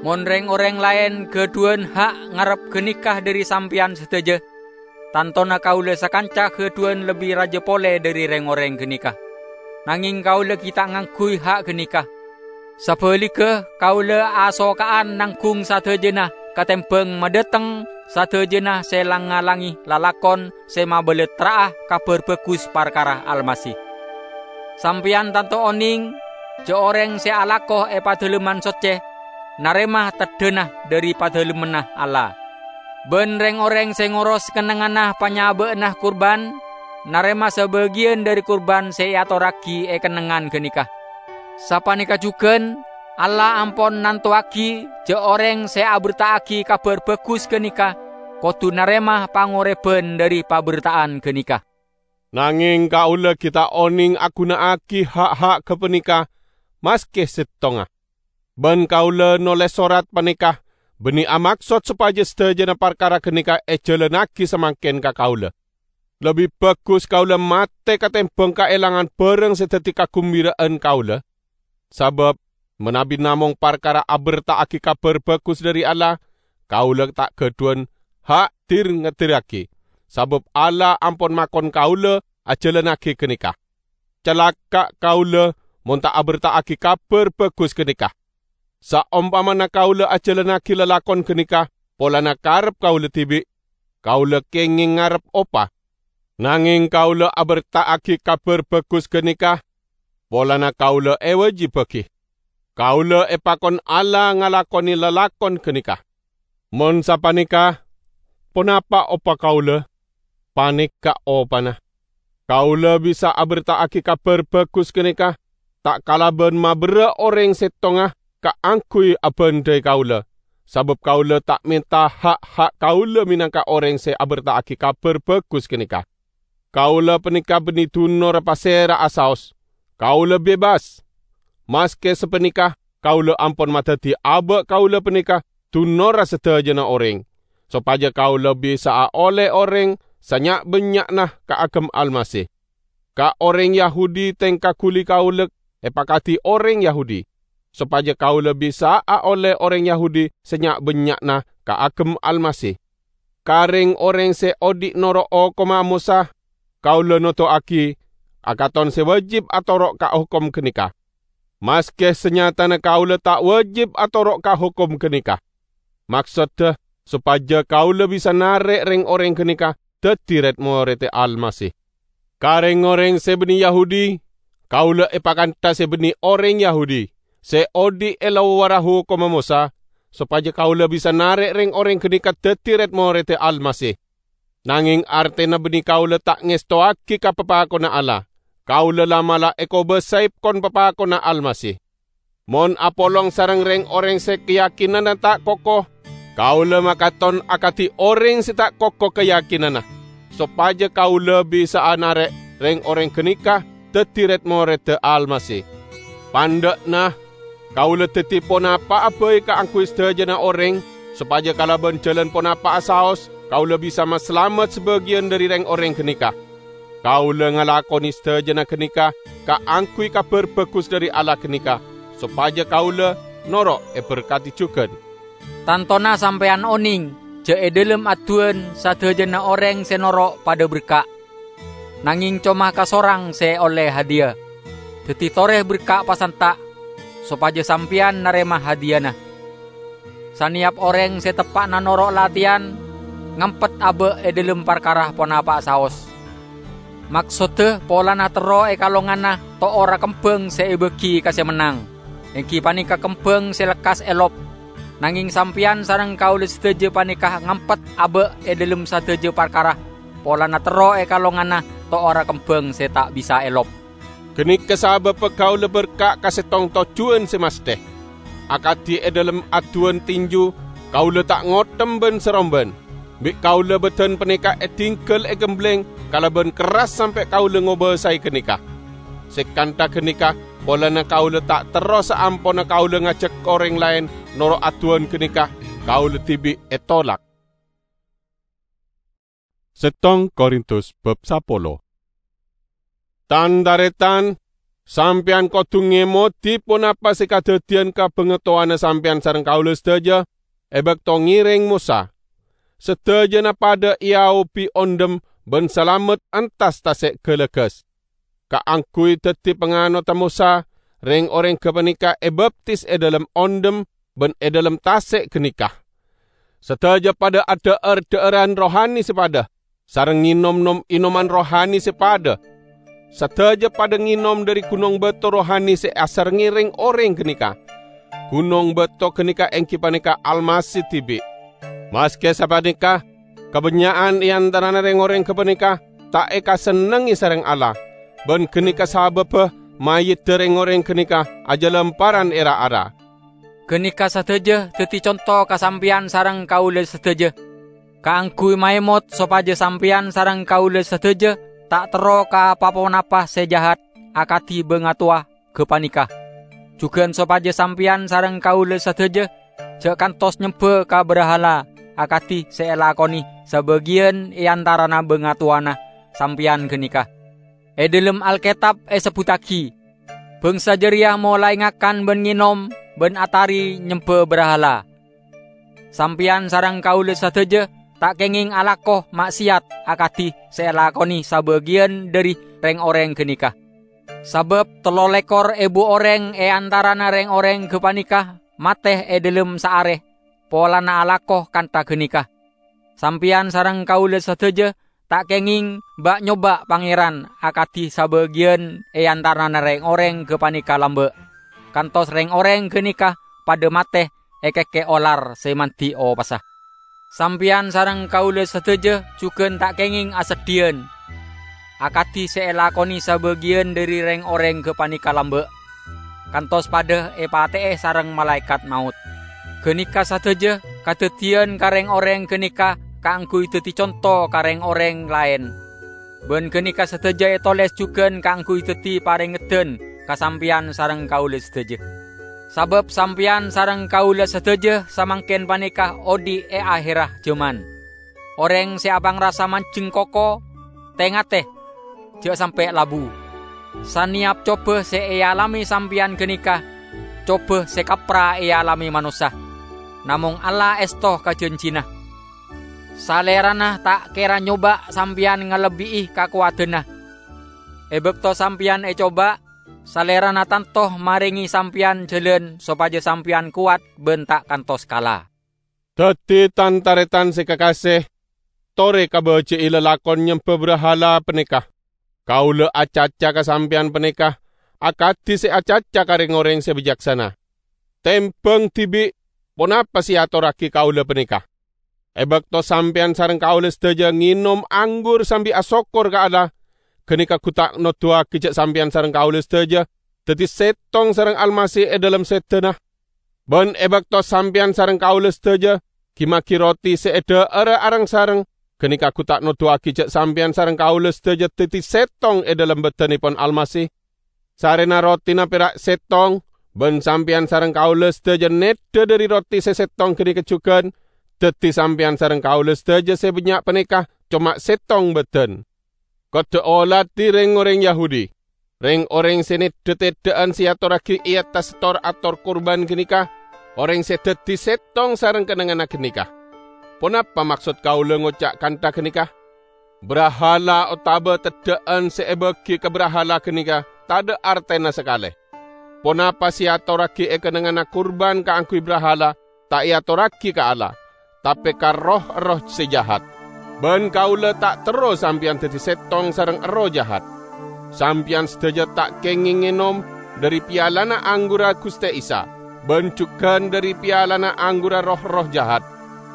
Mon reng-oreng laen gadhuwan ha' ngarep ganeka dhari sampeyan sadaja, tantona kaula sakanca gadhuwan lebbi raja pole dhari reng-oreng ganeka. Nangeng kaula gi' ta' ngangguy ha' ganeka. Sabaligga, kaula asoka'an nanggung sadajana katembang madhateng sadajana se lang-ngalange lalakon se mabalattra'a Kabar Bagus parkara Almasih. Sampeyan tanto oneng ja' oreng se alako e Padalemman Socce narema teddhana dhari Padalemmanna Allah. Ban reng-oreng se ngoros kennengnganna panyaba'anna kurban narema sabagiyan dhari kurban se eatorragi e kennengngan ganeka. Sapaneka jugan, Allah ampon nantowagi ja' oreng se aberta'agi Kabar Bagus ganeka kodu narema pangoreban dhari paberta'an ganeka. Nangeng kaula gi' ta' oneng aguna'agi ha'-ha' gapaneka maske settonga. Ban kaula noles sorat paneka banne amaksod sopaja sadajana parkara ganeka ejalannagi samangken ka kaula. Lebbi bagus kaula mate katembang kaelangan barang se daddi kagumbira'an kaula. Sabab manabi namong parkara aberta'agi Kabar Bagus dhari Allah, kaula ta' gadhuwan ha' dir-ngedirragi, sabab Allah ampon makon kaula ajalannagi ganeka. Calaka' kaula mon ta' aberta'agi Kabar Bagus ganeka! Saompamana kaula ajalannagi lalakon ganeka polana karep kaula dibi', kaula kengeng ngarep opa. Nangeng kaula aberta'agi Kabar Bagus ganeka polana kaula ewajibbagi. Kaula epakon Allah ngalakone lalakon ganeka. Mon sapaneka, ponapa opa kaula? Paneka opana. Kaula bisa aberta'agi Kabar Bagus ganeka ta' kalaban maberra' oreng settonga kaangguy abandai kaula, sabab kaula ta' menta ha'-ha' kaula menangka oreng se aberta'agi Kabar Bagus ganeka. Kaula paneka banne dunorra pasera'a saos. Kaula bebas. Maske sapaneka, kaula ampon madaddi aba' kaula paneka dunorra sadajana oreng, sopaja kaula bisa'a olle oreng sanya'-bannya'na kaagem Almasih. Ka oreng Yahudi tengka guli kaula epakadi oreng Yahudi, sopaja kaula bisa'a olle oreng Yahudi sanya'-bannya'na kaagem Almasih. Ka reng-oreng se odhi' noro' hokomma Mosa, kaula noduwagi akaton se wajib atoro' ka hokom ganeka, maske sanyatana kaula ta' wajib atoro' ka hokom ganeka. Maksodda, sopaja kaula bisa narek reng-oreng ganeka daddi red-moredda Almasih. Ka reng-oreng se banne Yahudi, kaula epakantha se banne oreng Yahudi se odhi' e lowarra hokomma Mosa, sopaja kaula bisa narek reng-oreng ganeka daddi red-moredda Almasih. Nangeng artena banne kaula ta' ngestowagi ka papakonna Allah. Kaula la'-mala' ekobasae kon papakonna Almasih. Mon apolong sareng reng-oreng se kayakinanna ta' koko, kaula makaton akadi oreng se ta' koko kayakinanna, sopaja kaula bisa'a narek reng-oreng ganeka daddi red-moredda Almasih. Pandha'na, kaula daddi ponapa'a bai kaangguy sadajana oreng, sopaja kalaban jalan ponapa'a saos kaula bisa masalamet sabagiyan dhari reng-oreng ganeka. Kaula ngalakone sadajana ganeka kaangguy Kabar Bagus dhari Allah ganeka, sopaja kaula noro' eberkadi jugan. Tantona sampeyan oneng ja' e dhalem adduwân sadhâjâna orèng sè noro' padâ berka', nangèng coma kasorang sè ollè hadiya. Dhâddhi torè berka' pasanta', sopajâ sampèyan narèma hadiyana. Sanèyap orèng sè teppa'na noro' latèyan, ngampet abâ' e dhalem parkara ponapa'a saos. Maksodda polana terro è kalonganna to'orra kembhâng sè èbâgi ka sè mennang, èngghi panèka kembhâng sè lekkas èlop. Nangèng sampèyan sareng kaulâ sadhâjâ panèka ngampet abâ' è dhalem sadhâjâ parkara, polana terro è kalonganna to'orra kembhâng sè ta' bisa èlop. Ganèka sabâbbhâ kaulâ berka' ka settong tojjhuwân sè masthè. Akadhi è dhalem adduwân tinju, kaulâ ta' ngothèm bân-sarombân. Bi' kaulâ bâdân panèka èdinggal ègemblèng kalabân kerras sampè' kaulâ ngobâsaè ganèka. Sè kantha ganèka, polana kaulâ ta' terro saamponna kaulâ ngajhâk orèng laèn noro' adduwân ganèka, kaulâ dhibi' ètolak. Settong Korintus bab sapolo. Tan-tarètan, sampèyan kodhu ngèmodhi ponapa sè kadhâddhiyân ka bangatowana sampèyan sareng kaulâ sadhâjâ è bâkto ngèrèng Mosa. Sadhâjâna padâ èaobi ondhem bân salamet entas tasè' ghâlâghâs. Kaangghuy dhâddhi panganotta Mosa, rèng-orèng ghâpanèka èbaptis è dhalem ondhem bân è dhalem tasè' ganèka. Sadhâjâ padâ adhâ'âr dhâ'ârân rohani sè padâ, sareng ngènom nom-ènoman rohani sè padâ. Sadhâjâ padâ ngènom dhâri ghunong bâto rohani sè asarengngè rèng-orèng ganèka. Ghunong bâto ganèka èngghi panèka Almasih dhibi'. Maskè sapanèka, kabânnya'an è antarana rèng-orèng ghâpanèka ta' èkasennengngè sareng Allah, bân ganèka sabâbbhâ mayyidda rèng-orèng ganèka ajâlamparan è ra-ara. Ganèka sadhâjâ dhâddhi conto ka sampèyan sareng kaulâ sadhâjâ, kaangghuy maèmot sopajâ sampèyan sareng kaulâ sadhâjâ ta' terro ka pa-ponapa sè jahat akadhi bângatowa ghâpanèka. Jhughân sopajâ sampèyan sareng kaulâ sadhâjâ jhâ' kantos nyembhâ ka brahala akadhi sè èlakonè sabâgiyân è antarana bângatowana sampèyan ganèka. È dhalem Alketab èsebbhuttaghi, "Bhângsa jârèya molaè ngakan bân ngènom bân atarè nyembhâ brahala." Sampèyan sareng kaulâ sadhâjâ ta' kèngèng alako ma'sèyat akadhi sè èlakonè sabâgiyân dhâri rèng-orèng ganèka. Sabâb tello lèkor èbu orèng è antarana rèng-orèng ghâpanèka matè è dhalem saarè polana alako kantha ganèka. Sampèyan sareng kaulâ sadhâjâ ta' kèngèng ba'-nyoba' Pangèran akadhi sabâgiyân è antarana rèng-orèng ghâpanèka lambâ', kantos rèng-orèng ganèka padâ matè èkèkkè olar sè mandhi opasa. Sampèyan sareng kaulâ sadhâjâ jhughân ta' kèngèng aseddhiyân, akadhi sè èlakonè sabâgiyân dhâri rèng-orèng ghâpanèka lambâ', kantos padâ èpatè'è sareng malaèkat maot. Ganèka sadhâjâ kadhâddhiyân ka rèng-orèng ganèka kaangghuy dhâddhi conto ka rèng-orèng laèn. Bân ganèka sadhâjâ ètolès jhughân kaangghuy dhâddhi parèngedhân ka sampèyan sareng kaulâ sadhâjâ. Sabâb sampèyan sareng kaulâ sadhâjâ samangkèn panèka odi' è ahèrra jhâman. Orèng sè apangrasa manjheng koko, tè-ngatè, jhâ' sampè' labu. Sanèyap cobâ sè èalamè sampèyan ganèka, cobâ sè kapra èalamè manossa. Namong Allah èsto ka janjina. Salèrana ta' kèra nyoba' sampèyan ngalebbi'i kakowadhânna. È bâkto sampèyan ècoba', Salèrana tanto marèngè sampèyan jhâlân sopajâ sampèyan kowat bân ta' kantos kala. Dhâddhi, tan-tarètan sè kakasè, torè kabâjâ'i lalakon nyembhâ brahala panèka. Kaulâ acaca ka sampèyan panèka akadhi sè acaca ka rèng-orèng sè bicaksana. Tèmbhâng dhibi' ponapa sè èatorraghi kaulâ panèka. È bâkto sampèyan sareng kaulâ sadhâjâ ngènom anggur sambi asokkor ka Allah, ganèka gu ta' noduwâghi jhâ' sampèyan sareng kaulâ sadhâjâ dhâddhi sèttong sareng Almasih è dhâlem sèdhâna. Bân è bâkto sampèyan sareng kaulâ sadhâjâ ghi-maghi roti sè èdhâ'ârâ areng-sareng, ganèka gu ta' noduwâghi jhâ' sampèyan sareng kaulâ sadhâjâ dhâddhi sèttong è dhâlem bâdhânèpon Almasih. Sarèna rotina pèra' sèttong, bân sampèyan sareng kaulâ sadhâjâ nèddhâ dhâri roti sè sèttong ganèka jhughân, dhâddhi sampèyan sareng kaulâ sadhâjâ sè bânnya' panèka coma sèttong bâdhân. Kodhu oladhi rèng-orèng Yahudi. Rèng-orèng sè nèddhâ teddhâ'ân sè èatorraghi è attas tor-ator kurban ganèka, orèng sè dhâddhi sèttong sareng kennengnganna ganèka. Ponapa maksod kaulâ ngoca' kantha ganèka? Brahala otaba teddhâ'ân sè èbâghi ka brahala ganèka tadâ' artèna sakalè. Ponapa sè èatorraghi è kennengnganna kurban kaangghuy brahala, ta' èatorraghi ka Allah, tapè ka roh-erroh sè jahat. Bân kaulâ ta' terro sampèyan dhâddhi sèttong sareng erroh jahat. Sampèyan sadhâjâ ta' kèngèng ngènom dhâri pialana anggurra Ghustè Isa, bân jughân dhâri pialana anggurra roh-erroh jahat.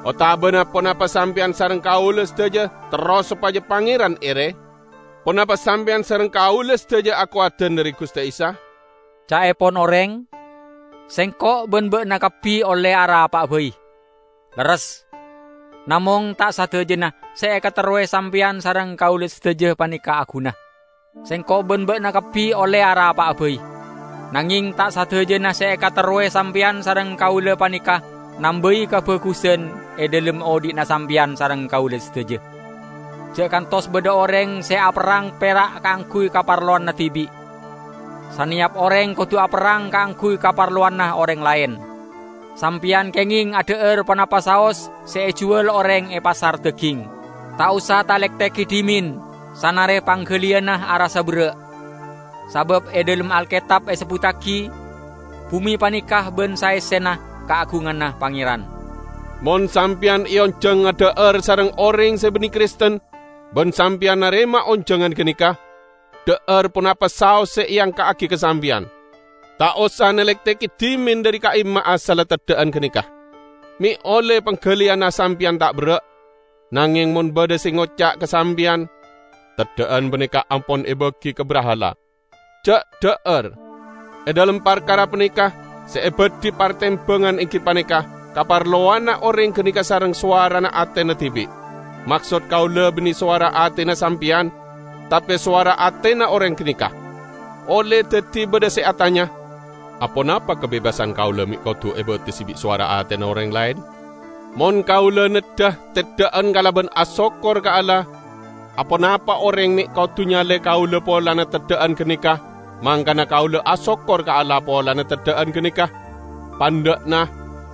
Otabâna ponapa sampèyan sareng kaulâ sadhâjâ terro sopajâ Pangèran èrè? Ponapa sampèyan sareng kaulâ sadhâjâ akowadhân dhâri Ghustè Isa? Ca'èpon orèng, sèngko' bân bâ'na kabbhi ollè arapa'a bhâi. Lerres. Namong ta' sadhâjâna sè èkaterrowè sampèyan sareng kaulâ sadhâjâ panèka aghuna. Sèngko' bân bâ'na kabbhi ollè arapa'a bhâi. Nangèng ta' sadhâjâna sè èkaterrowè sampèyan sareng kaulâ panèka nambâi kabhâghusân è dhâlem odi'na sampèyan sareng kaulâ sadhâjâ. Jhâ' kantos bâdâ orèng sè aperrang pèra' kaangghuy kaparlowanna dhibi'. Sanèyap orèng kodhu aperrang kaangghuy kaparlowanna orèng laèn. Sampèyan kèngèng adhâ'âr ponapa saos sè èjhuwâl orèng è pasar dhâghing. Ta' osa talèktèghi dhimèn, sanarè pangghâliyânna arassa berrâ'. Sabâb è dhâlem Alkètab èsebbhuttaghi, "Bhumè panèka bân saèssèna kaagunganna Pangèran." Mon sampèyan èonjhâng adhâ'âr sareng orèng sè bânnè Kristen, bân sampèyan narèma onjhângan ganèka, dhâ'âr ponapa saos sè èangka'aghi ka sampèyan. Ta' osa nalèktèghi dhimèn dhâri ka'imma'a sala teddhâ'ân ganèka. Mè' ollè pangghâliyânna sampèyan ta' berrâ', nangèng mon bâdâ sè ngoca' ka sampèyan, "Teddhâ'ân panèka ampon èbâghi ka brahala," jhâ' dhâ'âr. È dhâlem parkara panèka, sè èbâdhi partèmbhângan èngghi panèka kaparlowanna orèng ganèka sareng sowarana atèna dhibi'. Maksod kaulâ bânnè sowara atèna sampèyan, tapè sowara atèna orèng ganèka. Ollè dhâddhi bâdâ sè atanya, "Aponapa kabebassan kaulâ mè' kodhu èbatesi bi' sowara atèna orèng laèn?" Mon kaulâ neddhâ teddhâ'ân kalabân asokkor ka Allah, aponapa orèng mè' kodhu nyalè kaulâ polana teddhâ'ân ganèka, mangkana kaulâ asokkor ka Allah polana teddhâ'ân ganèka? Pandhâ'na,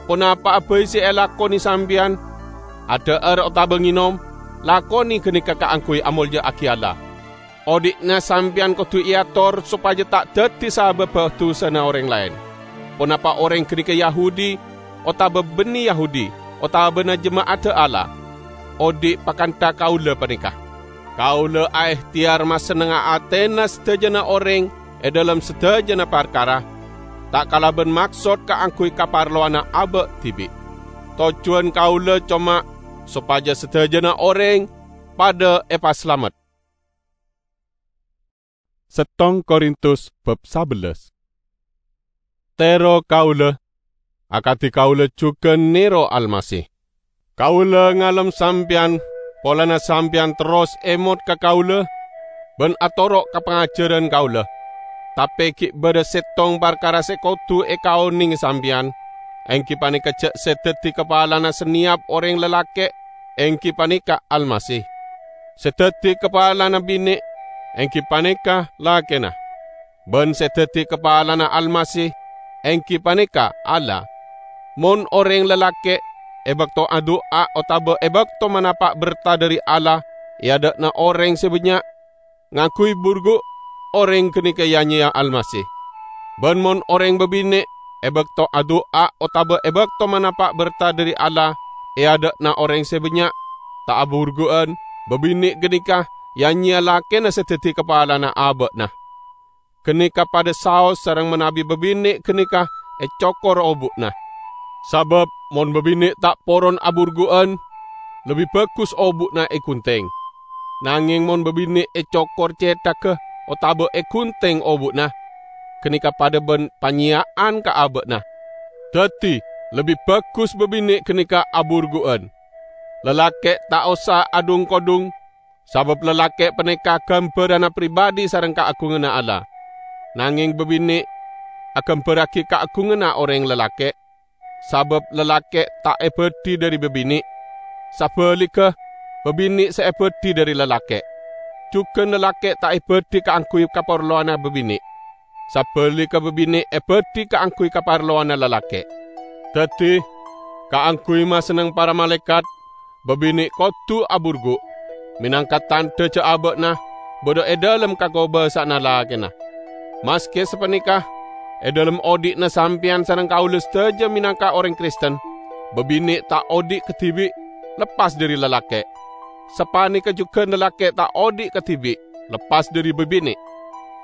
ponapa'a bhâi sè èlakonè sampèyan, adhâ'âr otabâ ngènom, lakonè ganèka kaangghuy amolja'aghi Allah. Odi'na sampèyan kodhu èator sopajâ ta' dhâddhi sabâbbhâ dusana orèng laèn, ponapa orèng ganèka Yahudi otabâ bânnè Yahudi otabâna jema'adda Allah. Odi' pakantha kaulâ panèka. Kaulâ aèhtèyar masennengnga atèna sadhâjâna orèng è dhâlem sadhâjâna parkara, ta' kalabân maksod kaangghuy kaparlowanna abâ' dhibi'. Tojjhuwân kaulâ coma sopajâ sadhâjâna orèng padâ èpasalamet. Settong Korintus bab sabellâs. Tèro kaulâ, akadhi kaulâ jhughân nèro Almasih. Kaulâ ngalem sampèyan, polana sampèyan terros èmot ka kaulâ bân atoro' ka pangajhârân kaulâ. Tapè ghi' bâdâ settong parkara sè kodhu èkaonèngè sampèyan, èngghi panèka jhâ' sè dhâddhi kapalana sanèyap orèng lalakè', èngghi panèka Almasih. Sè dhâddhi kapalana binè', èngghi panèka lakèna. Bân sè dhâddhi kapalana Almasih, èngghi panèka Allah. Mon orèng lalakè' è bâkto adu'a otabâ è bâkto manapa' berta dhâri Allah è adâ'na orèng sè bânnya', ngangghuy burgu', orèng ghânèka ya-nyèya Almasih. Bân mon orèng bâbinè' è bâkto adu'a otabâ è bâkto manapa' berta dhâri Allah è adâ'na orèng sè bânnya', ta' aburgu'ân, bâbinè' ghânèka ya-nyèya lakèna sè dhâddhi kapalana abâ'na. Ghânèka padâ saos sareng manabi bâbinè' ghânèka ècokor obu'na. Sabâb mon bâbinè' ta' poron aburgu'ân, lebbi bhâghus obu'na èghunthèng. Nangèng mon bâbinè' ècokor cèthagghâ otabâ èghunthèng obu'na, ghânèka padâ bân panyèya'an ka abâ'na. Dhâddhi, lebbi bhâghus bâbinè' ghânèka aburgu'ân. Lalakè' ta' osa adhung-kodhung, sabâb lalakè' panèka ghâmbhârânna pribâdhi sareng kaagunganna Allah. Nangèng bâbinè' aghâmbhârraghi kaagunganna orèng lalakè', sabâb lalakè' ta' èbâdhi dhâri bâbinè'. Sabhâligghâ, bâbinè' sè èbâdhi dhâri lalakè'. Jhughân lalakè' ta' èbâdhi kaangghuy kaparlowanna bâbinè'. Sabhâligghâ bâbinè' èbâdhi kaangghuy kaparlowanna lalakè'. Dhâddhi, kaangghuy masenneng para malaèkat, babine' kodu aburgu', menangka tandha ja' aba'na badha e dhalem kakobasa'anna lakena. Maske sapaneka, e dhalem odhi'na sampeyan sareng kaula sadaja menangka oreng Kristen, babine' ta' odhi' kadibi' leppas dhari lalake'. Sapaneka jugan lalake' ta' odhi' kadibi' leppas dhari babine'.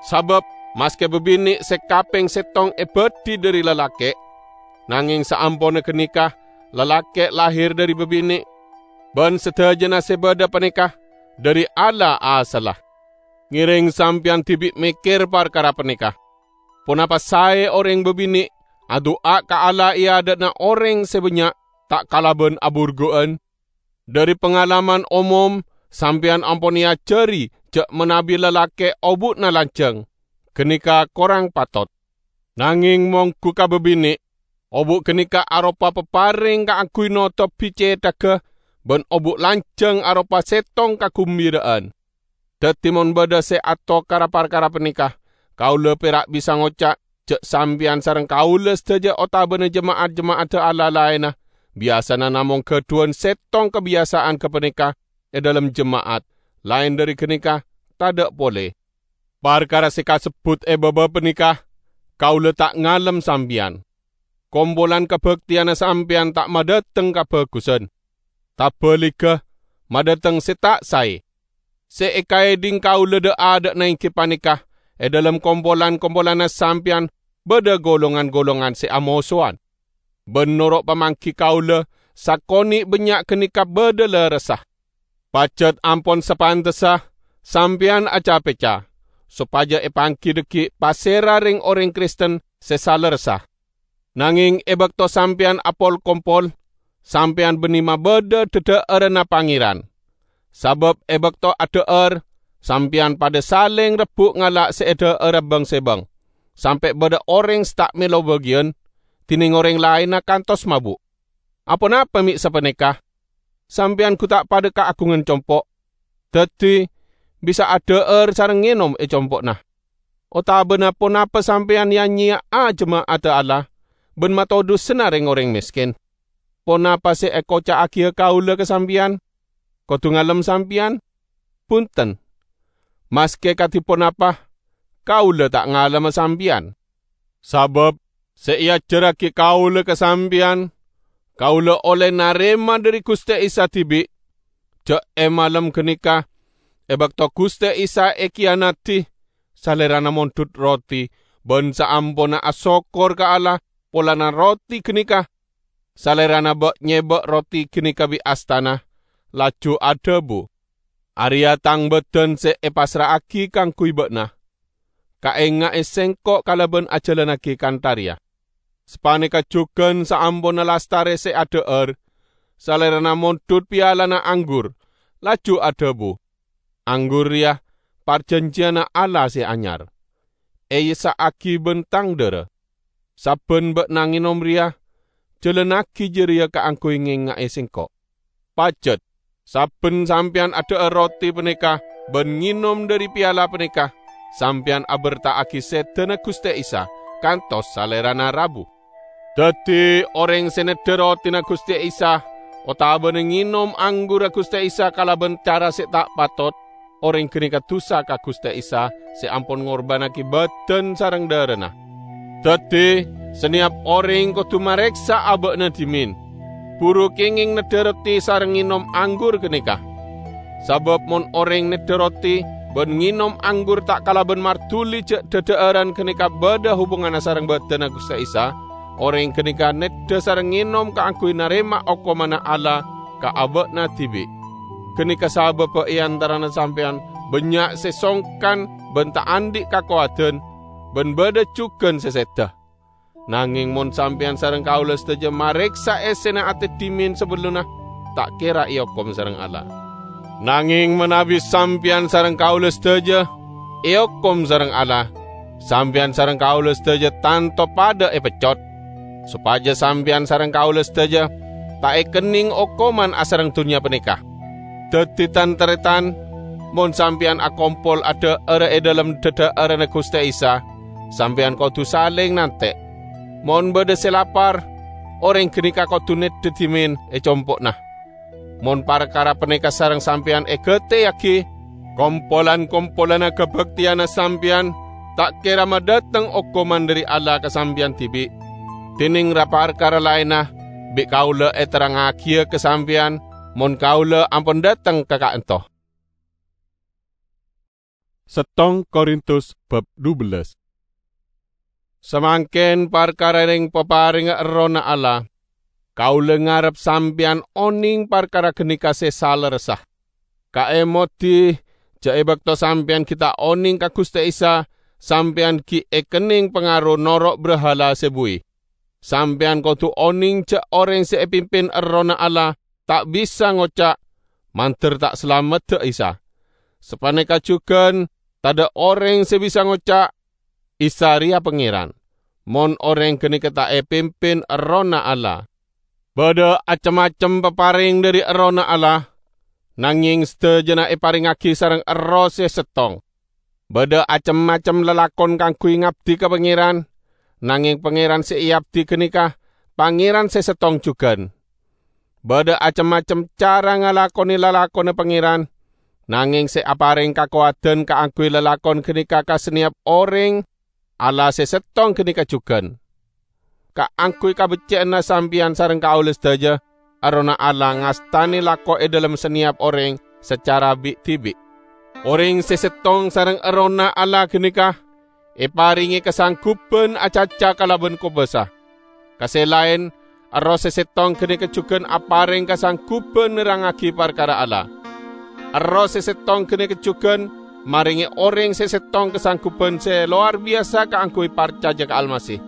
Sabab maske babine' se kapeng settong ebadhi dhari lalake', nangeng saamponna ganeka lalake' lahir dhari babine', ban sadajana se badha paneka dhari Allah asalla. Ngereng sampeyan dibi' mekker parkara paneka. Ponapa sae oreng babine' adu'a ka Allah e adha'na oreng se bannya' ta' kalaban aburgu'an? Dhari pangalaman omom, sampeyan ampon eajari ja' manabi lalake' obu'na lanjang, ganeka korang patot. Nangeng monggu ka babine', obu' ganeka aropa papareng kaangguy notobi cethagga ban obu' lanjang aropa settong kagumbira'an. Daddi, mon badha se atokara parkara paneka, kaula pera' bisa ngoca' ja' sampeyan sareng kaula sadaja otabana jema'at-jema'adda Allah laenna biyasana namong gadhuwan settong kabiyasa'an gapaneka e dhalem jema'at, laen dhari ganeka tadha' pole. Parkara se kasebbut e baba paneka, kaula ta' ngalem sampeyan. Kompolan kabakteyanna sampeyan ta' madhateng kabhagusan. Tabaligga, madhateng se ta' sae. Se ekaedhing kaula dha'-adha'na enggi paneka, e dhalem kompolan-kompolanna sampeyan badha golongan-golongan se amosowan. Ban noro' pamanggi kaula, sakone' bannya' ganeka badha lerressa. Pajat ampon sapantessa sampeyan aca-peca, sopaja epanggi dhaggi' pasera reng-oreng Kristen se salerressa. Nangeng e bakto sampeyan apol-kompol, sampeyan banne mabadha dhadha'aranna Pangeran. Sabab e bakto adha'ar, sampeyan padha saleng rebbu' ngala' se edha'ara bang-sebang, sampe' badha oreng se ta' melo bagiyan, dineng oreng laenna kantos mabu'. Aponapa me' sapaneka? Sampeyan gu ta' padha kaagungan compo', daddi bisa adha'ar sareng ngenom e compo'na? Otabana ponapa sampeyan ya-nyeya'a jema'adda Allah ban matodusana reng-oreng mesken? Ponapa se ekoca'agiya kaula ka sampeyan? Kodu ngalem sampeyan? Bunten! Maske kadi ponapa, kaula ta' ngalema sampeyan. Sabab se eajarragi kaula ka sampeyan, kaula olle narema dhari Guste Isa dibi', ja' e malem ganeka, e bakto Guste Isa ekiyanadi, Salerana mondhut roti, ban saamponna asokkor ka Allah polana roti ganeka, Salerana ba'-nyeba' roti ganeka bi' astana, laju adhabu, "Areya' Tang badan se epassra'agi kaangguy ba'na. Kaenga'e Sengko' kalaban ajalannagi kantha reya." Sapaneka jugan saamponna lastare se adha'ar, Salerana mondhut pialana anggur, laju adhabu, "Anggur reya parjanjiyana Allah se anyar, eessa'agi ban Tang dhara. Sabban ba'na ngenom reya, jalannagi jareya kaangguy ngenga'e Sengko'." Pajat, sabban sampeyan adha'ar roti paneka ban ngenom dhari piala paneka, sampeyan aberta'agi sedana Guste Isa, kantos Salerana rabu. Daddi, oreng se neddha rotina Guste Isa otabana ngenom anggurra Guste Isa kalaban cara se ta' patot, oreng ganeka dusa ka Guste Isa se ampon ngorbannagi badan sareng dharana. Daddi, saneyap oreng kodu mareksa aba'na dhimen, buru kengeng neddha roti sareng ngenom anggur ganeka. Sabab mon oreng neddha roti ban ngenom anggur ta' kalaban marduli ja' dhadha'aran ganeka badha hubunganna sareng badanna Guste Isa, oreng ganeka neddha sareng ngenom kaangguy narema okomanna Allah ka aba'na dibi'. Ganeka sababba e antarana sampeyan bannya' se songkan ban ta' andhi' kakowadan, ban badha jugan se seda. Nangeng mon sampeyan sareng kaula sadaja mareksa essena ate dhimen sabellunna, ta' kera eokom sareng Allah. Nangeng manabi sampeyan sareng kaula sadaja eokom sareng Allah, sampeyan sareng kaula sadaja tanto padha epeccot, sopaja sampeyan sareng kaula sadaja ta' ekenneng okoman asareng dunnya paneka. Daddi, tan-taretan, mon sampeyan akompol adha'ara e dhalem dhadha'aranna Guste Isa, sampeyan kodu saleng nante'. Mon badha se lapar, oreng ganeka kodu neddha dhimen e compo'na. Mon parkara panèka sareng sampèyan ègateyaghi, kompolan-kompolanna kabhâktèyanna sampèyan ta' kèra madhâteng okoman dhâri Allah ka sampèyan dhibi'. Dhinèng ra-parkara laènna bi' kaulâ èterrangngaghiyâ ka sampèyan, mon kaulâ ampon dhâteng ka ka'ènto. Settong Korintus bab dubellâs. Samangkèn parkara rèng-paparèngnga Errohna Allah, kaulâ ngarep sampèyan onèng parkara ghânèka sè salerressa. Kaèmodhi, jhâ' è bâkto sampèyan ghi' ta' onèng ka Ghustè Isa, sampèyan ghi' èkennèng pangaro noro' brahala sè buwi. Sampèyan kodhu onèng jhâ' orèng sè èpimpin Errohna Allah ta' bisa ngoca', "Mandhâr ta' salameddhâ Isa." Sapanèka jhughân, tadhâ' orèng sè bisa ngoca', "Isa rèya Pangèran," mon orèng ghânèka ta' èpimpin Errohna Allah. Bâdâ acem-macem paparèng dhâri Errohna Allah, nangèng sadhâjâna èparèngaghi sareng Erroh sè settong. Bâdâ acem-macem lalakon kaangghuy ngabdi ka Pangèran, nangèng Pangèran sè èabdi ghânèka Pangèran sè settong jhughân. Bâdâ acem-macem cara ngalakonè lalakonna Pangèran, nangèng sè aparèng kakowadhân kaangghuy lalakon ghânèka ka sanèyap orèng, Allah sè settong ghânèka jhughân. Kaangghuy kabeccè'anna sampèyan sareng kaulâ sadhâjâ, Errohna Allah ngastanè lako è dhâlem sanèyap orèng sacara bi'-dhibi'. Orèng sè settong sareng Errohna Allah ghânèka èparèngè kasangguban acaca kalabân kobâsa. Ka sè laèn, Erroh sè settong ghânèka jhughân aparèng kasangguban nerrangngaghi parkara Allah. Erroh sè settong ghânèka jhughân marèngè orèng sè settong kasangguban sè lowar biyasa kaangghuy parcajâ ka Almasih.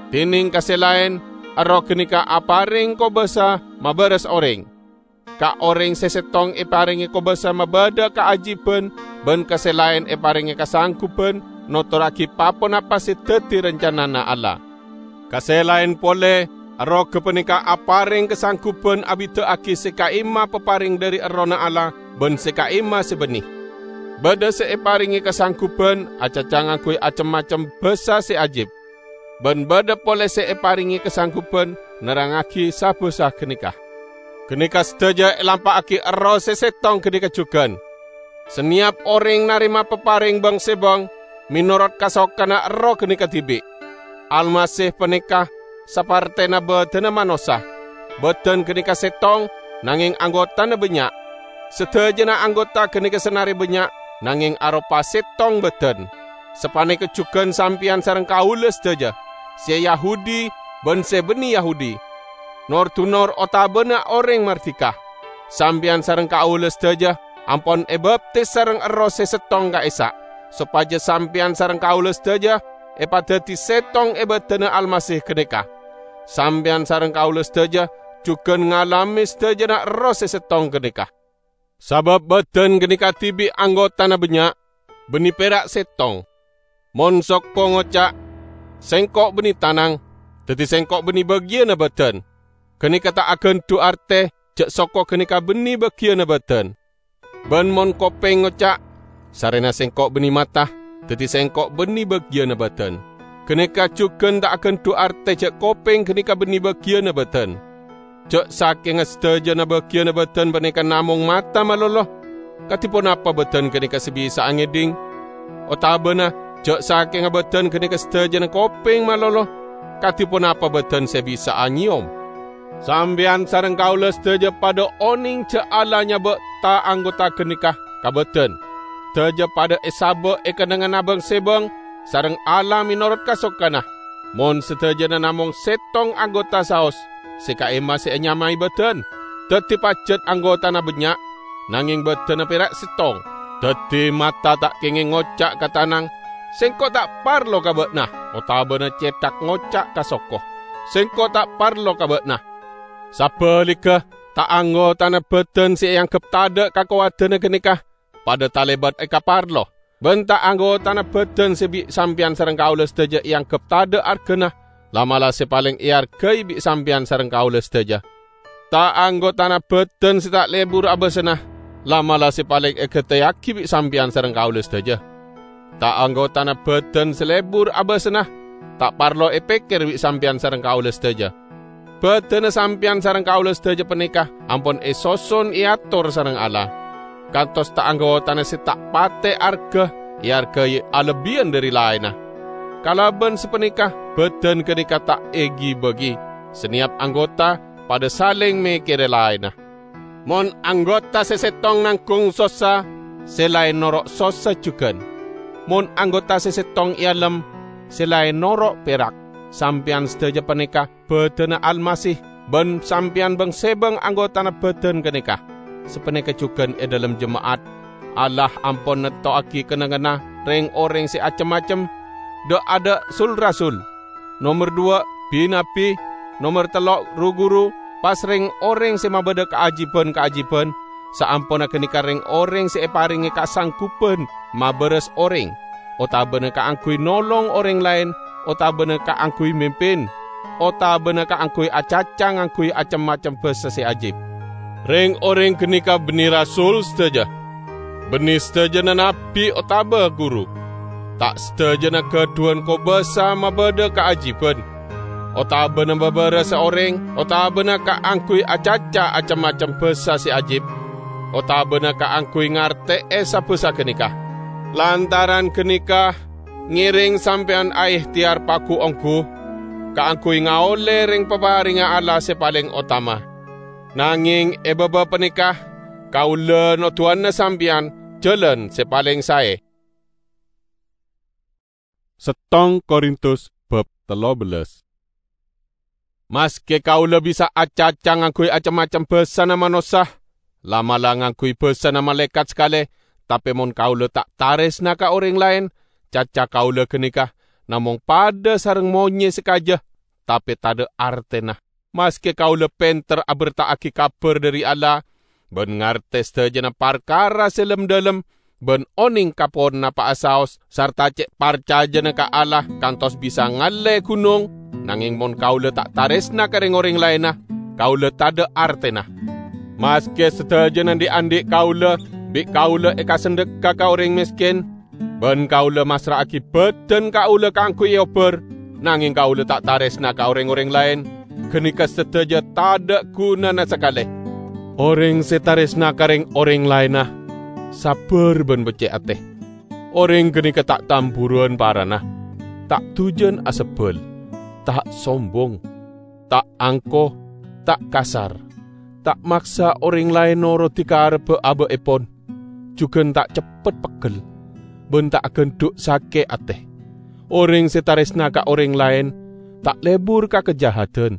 Dhinèng ka sè laèn, Erroh ghânèka aparèng kobâsa mabârâs orèng. Ka orèng sè settong èparèngè kobâsa mabâdâ kaajiban, bân ka sè laèn èparèngè kasangguban notorraghi pa-ponapa sè dhâddhi rancanana Allah. Ka sè laèn polè, Erroh ghâpanèka aparèng kasangguban abhidhâ'aghi sè ka'imma paparèng dhâri Errohna Allah bân sè ka'imma sè bânnè. Bâdâ sè èparèngè kasangguban acaca ngangghuy acem-macem bhâsa sè ajib. Bân bâdâ polè sè èparèngè kasangguban nerrangngaghi sa-bhâsa ghânèka. Ghânèka sadhâjâ èlampa'aghi Erroh sè settong ghânèka jhughân. Sanèyap orèng narèma paparèng bâng-sèbâng mènorot kasokanna Erroh ghânèka dhibi'. Almasih panèka sapartèna bâdânna manossa. Bâdân ghânèka settong, nangèng anggotana bânnya'. Sadhâjâna anggota ghânèka sanarè bânnya', nangèng aropa settong bâdân. Sapanèka jhughân sampèyan sareng kaulâ sadhâjâ, sè Yahudi bân sè bânnè Yahudi, nor-dunor otabâna orèng mardika. Sampèyan sareng kaulâ sadhâjâ ampon èbaptis sareng Erroh sè settong ka'issa', sopajâ sampèyan sareng kaulâ sadhâjâ èpadhâddhi settong è bâdânna Almasih ghânèka. Sampèyan sareng kaulâ sadhâjâ jhughân ngalamè sadhâjâna Erroh sè settong ghânèka. Sabâb bâdân ghânèka dhibi' anggotana bânnya', bânnè pèra' settong. Mon soko ngoca', "Sèngko' bânnè tanang, dhâddhi sèngko' bânnè bâgiyânna bâdân," ghânèka ta' aghândhu' artè jhâ' soko ghânèka bânnè bâgiyânna bâdân. Bân mon kopèng ngoca', "Sarèna sèngko' bânnè mata, dhâddhi sèngko' bânnè bâgiyânna bâdân," ghânèka jhughân ta' aghândhu' artè jhâ' kopèng ghânèka bânnè bâgiyânna bâdân. Jhâ' sakènga sadhâjâna bâgiyânna bâdân panèka namong mata malolo, kadhi ponapa bâdân ghânèka sè bisa'a ngèdhing? Otabâna jhâ' sakènga bâdân ghânèka sadhâjâna kopèng malolo, kadhi ponapa bâdân sè bisa'a nyèyom? Sampèyan sareng kaulâ sadhâjâ padâ onèng jhâ' Allah nyabâ' ta-anggota ghânèka ka bâdân. Sadhâjâ padâ èsabâ' è kennengnganna bâng-sèbâng sareng Allah mènorot kasokana. Mon sadhâjâna namong settong anggota saos, sè ka'imma sè ènyamaè bâdân. Dhâddhi pajhât anggotana bânnya', nangèng bâdânna pèra' settong. Dhâddhi mata ta' kèngèng ngoca' ka tanang, "Sèngko' ta' parlo ka bâ'na," otabâna cèthak ngoca' ka soko, "Sèngko' ta' parlo ka bâ'na." Sabhâligghâ, ta-anggotana bâdân sè èangghep tadâ' kakowadhânna ghânèka padâ talèbât èkaparlo, bân ta-anggotana bâdân sè bi' sampèyan sareng kaulâ sadhâjâ èangghep tadâ' arghâna, la'-mala' sè palèng èarghâi bi' sampèyan sareng kaulâ sadhâjâ. Ta-anggotana bâdân sè ta' lebur abâsana, la'-mala' sè palèng èghâtèyaghi bi' sampèyan sareng kaulâ sadhâjâ. Ta-anggotana bâdân sè lebur abâsana, ta' parlo èpèkkèr bi' sampèyan sareng kaulâ sadhâjâ. Badanna sampeyan sareng kaula sadaja paneka ampon esoson eator sareng Allah, kantos ta-, anggotana se ta' pate arga eargai alebbiyyan dhari laenna. Kalaban sapaneka, badan ganeka ta' egi-bagi, saneyap anggota padha saleng mekkere laenna. Mon anggota se settong nanggung sossa, se laen noro' sossa jugan. Mon anggota se settong ealem, se laen noro' perak. Sampeyan sadaja paneka badanna Almasih, ban sampeyan bang-sebang anggotana badan ganeka. Sapaneka jugan e dhalem jema'at. Allah ampon nettowagi kennengnganna reng-oreng se acem-macem, dha'-adha' sul-rasul, nomer duwa', bi-nabbi, nomer tello', ru-guru, pas reng-oreng se mabadha kaajiban-kaajiban, saamponna ganeka reng-oreng se eparenge kasangguban mabaras oreng, otabana kaangguy nolong oreng laen, otabana kaangguy mimpin, otabana kaangguy acaca ngangguy acem-macem basa se ajib. Reng-oreng ganeka banne rasul sadaja, banne sadajana nabbi otaba guru. Ta' sadajana gadhuwan kobasa mabadha kaajiban, otabana mabarasa oreng, otabana kaangguy acaca acem-macem basa se ajib, otabana kaangguy ngarte'e sa-basa ganeka. Lantaran ganeka, ngereng sampeyan aehteyar pagu-onggu kaangguy ngaolle reng-paparengnga Allah se paleng otama. Nangeng e baba paneka, kaula noduwana sampeyan jalan se paleng sae. Settong Korintus bab tello bellas. Maske kaula bisa acaca ngangguy acem-macem basana manossa, la'-mala' ngangguy basana malaekat sakale, tape mon kaula ta' taresna ka oreng laen, caca kaula ganeka namong padha sareng monye sakaja, tape tadha' artena. Maske kaula penter aberta'agi kabar dhari Allah, ban ngarte sadajana parkara se lem-dhalem, ban oneng ka ponapa'a saos, sarta ce' parcajana ka Allah kantos bisa ngalle gunong, nangeng mon kaula ta' taresna ka reng-oreng laenna, kaula tadha' artena. Maske sadajana dhi'-andhi' kaula, bi' kaula ekasendhekka ka oreng mesken, ban kaula massra'agi badan kaula kaangguy eobbar, nangeng kaula ta' taresna ka reng-oreng laen, ganeka sadaja tadha' gunana sakale. Oreng se taresna ka reng-oreng laenna, sabbar ban becce' ate. Oreng ganeka ta' tamburuwan parana, ta' dujan asebbal, ta' sombong, ta' angko, ta' kasar, ta' maksa oreng laen norodi karebba aba'epon, jugan ta' ceppet peggel, ban ta' agandhu' sake ate. Oreng se taresna ka oreng laen ta' lebur ka kajahadan.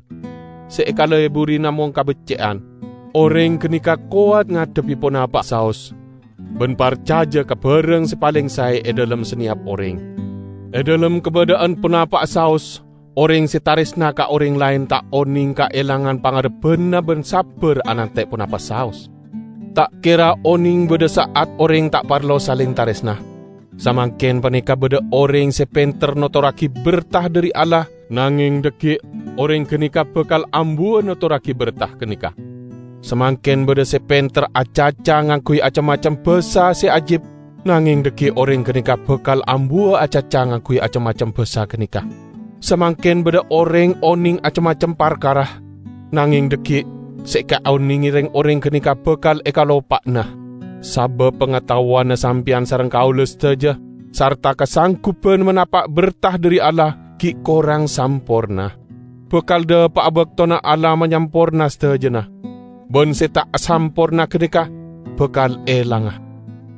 Se ekaleburi namong kabecce'an. Oreng ganeka kowat ngadhebbi ponapa saos, ban parcaja ka barang se paleng sae e dhalem saneyap oreng. E dhalem kabadha'an ponapa saos, oreng se taresna ka oreng laen ta' oneng kaelangan pangarebbanna ban sabbar anante' ponapa saos. Ta' kera oneng badha sa'at oreng ta' parlo saleng taresna. Samangken paneka badha oreng se penter notorragi berta dhari Allah, nangeng dhaggi' oreng ganeka bakal ambuwa notorragi berta ganeka. Samangken badha se penter acaca ngangguy acem-macem basa se ajib, nangeng dhaggi' oreng ganeka bakal ambuwa acaca ngangguy acem-macem basa ganeka. Samangken badha oreng oneng acem-macem parkara, nangeng dhaggi' se ekaonenge reng-oreng ganeka bakal ekalopa'ana. Sabab pangataowanna sampeyan sareng kaula sadaja, sarta kasangguban manapa' berta dhari Allah gi' korang samporna. Bakal dhapa'a baktona Allah manyamporna sadajana, ban se ta' samporna ganeka bakal elanga.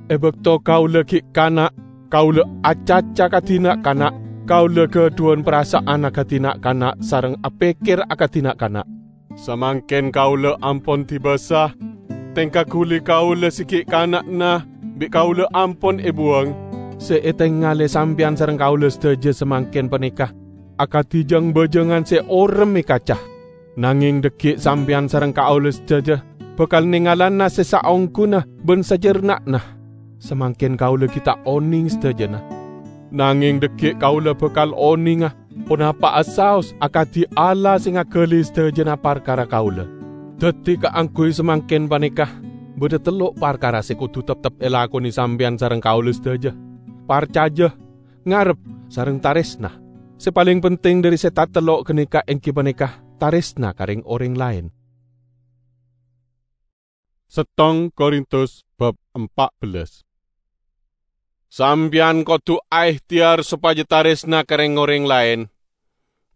E bakto kaula gi' kana', kaula acaca kadi na'-kana', kaula gadhuwan parasa'an akadi na'-kana' sareng apekker akadi na'-kana'. Samangken kaula ampon dibasa, tengka ghuli kaula se gi' kana'na bi' kaula ampon ebuwang. Se etengale sampeyan sareng kaula sadaja samangken paneka akadi jang-bajangan se orem e kaca. Nangeng dhaggi' sampeyan sareng kaula sadaja bakal nengalana se saongghuna ban sajarna'na. Samangken kaula gi' ta' oneng sadajana. Nangeng dhaggi' kaula bakal onenga ponapa'a saos akadi Allah se ngagali sadajana parkara kaula. Daddi kaangguy samangken paneka badha tello' parkara se kodu teptep elakone sampeyan sareng kaula sadaja: parcaja, ngarep, sareng taresna. Se paleng penting dhari se tatello' ganeka enggi paneka tarèsna ka rèng-orèng laèn. Settong Korintus bab empat belas. Sampèyan kodhu aèhtèyar sopajâ tarèsna ka rèng-orèng laèn,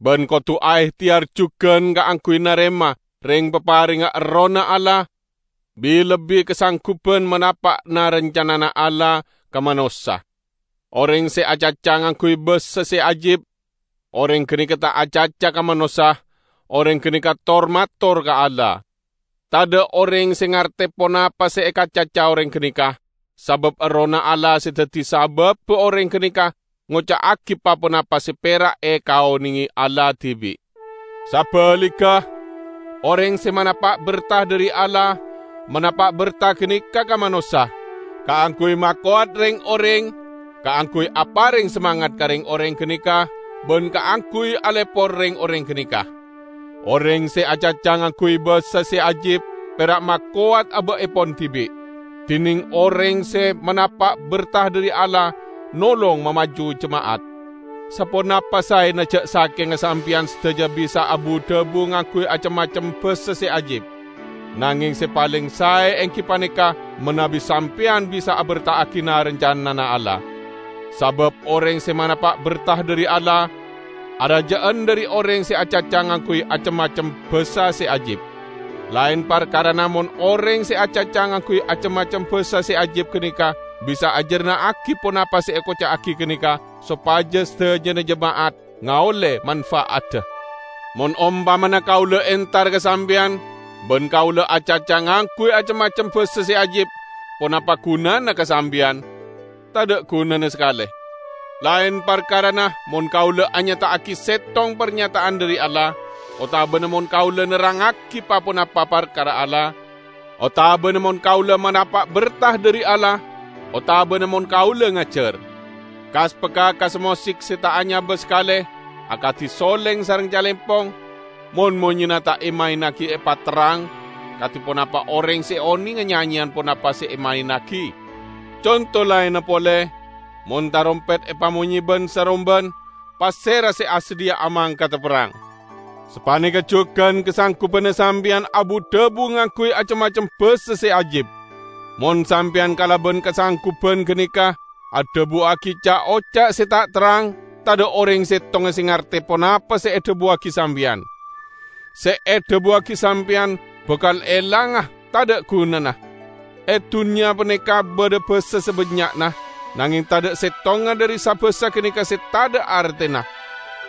bân kodhu aèhtèyar jhughân kaangghuy narèma rèng-paparèngnga Errohna Allah, bi-lebbi kasangguban manapa'na rancanana Allah ka manossa. Orèng sè acaca ngangguy bhâsa sè ajib, orèng ghânèka ta' acaca ka manossa, orèng ghânèka tor-mator ka Allah. Tadhâ' orèng sè ngartè ponapa sè èkacaca orèng ghânèka, sabâb Errohna Allah sè dhâddhi sabâbbhâ orèng ghânèka ngoca'aghi pa-ponapa sè pèra' èkaonèngè Allah dhibi'. Sabhâligghâ, orèng sè manapa' berta dhâri Allah, manapa' berta ghânèka ka manossa, kaangghuy makowat rèng-orèng, kaangghuy aparèng samangat ka rèng-orèng ghânèka, bân kaangghuy alèpor rèng-orèng ghânèka. Orèng sè acaca ngangguy bhâsa sè ajib pèra' makowat abâ'èpon dhibi', dhinèng orèng sè manapa' berta dhâri Allah nolong mamaju jema'at. Saponapa saèna jhâ' sakènga sampèyan sadhâjâ bisa abu-dhâbu ngangguy acem-macem bhâsa sè ajib? Nangèng sè palèng saè èngghi panèka manabi sampèyan bisa aberta'aghina rancanana Allah. Sabâb orèng sè manapa' berta dhâri Allah, arajâ'ân dhâri orèng sè acaca ngangguy acem-macem bhâsa sè ajib. Laèn parkarana mon orèng sè acaca ngangguy acem-macem bhâsa sè ajib ghânèka bisa ajhârna'aghi ponapa sè èkoca'aghi ghânèka, sopajâ sadhâjâna jema'at ngaollè manfa'adda. Mon ompamana kaulâ entar ka sampèyan, bân kaulâ acaca ngangguy acem-macem bhâsa sè ajib, ponapa ghunana ka sampèyan? Tadhâ' ghunana sakalè. Laèn parkarana mon kaulâ anyata'aghi settong parnyata'an dhâri Allah, otabâna mon kaulâ nerrangngaghi pa-ponapa parkara Allah, otabâna mon kaulâ manapa' berta dhâri Allah, otabâna mon kaulâ ngajhâr. Kas-bhâkas mosik sè ta' anyabâ sakalè, akadhi solèng sareng calèmpong, mon monyèna ta' èmaènnaghi èpaterrang, kadhi ponapa orèng sè onènga nyanyèyan ponapa sè èmaènnaghi? Conto laènna polè, mon tarompèt èpamonyè bân-saromban, pasèra sè asadhiyâ'â mangkadhâ perrang? Sapanèka jhughân kasanggubanna sampèyan abu-dhâbu ngangguy acem-macem bhâsa sè ajib. Mon sampèyan kalabân kasangguban ghânèka adhâbuwâghi ca'-oca' sè ta' terrang, tadhâ' orèng settonga sè ngartè ponapa sè èdhâbuwâghi sampèyan. Sè èdhâbuwâghi sampèyan bhâkal èlanga, tadhâ' ghunana. È dhunnya panèka bâdâ bhâsa sabânnya'na, nangèng tadhâ' settonga dhâri sa-bhâsa ghânèka sè tadhâ' artèna.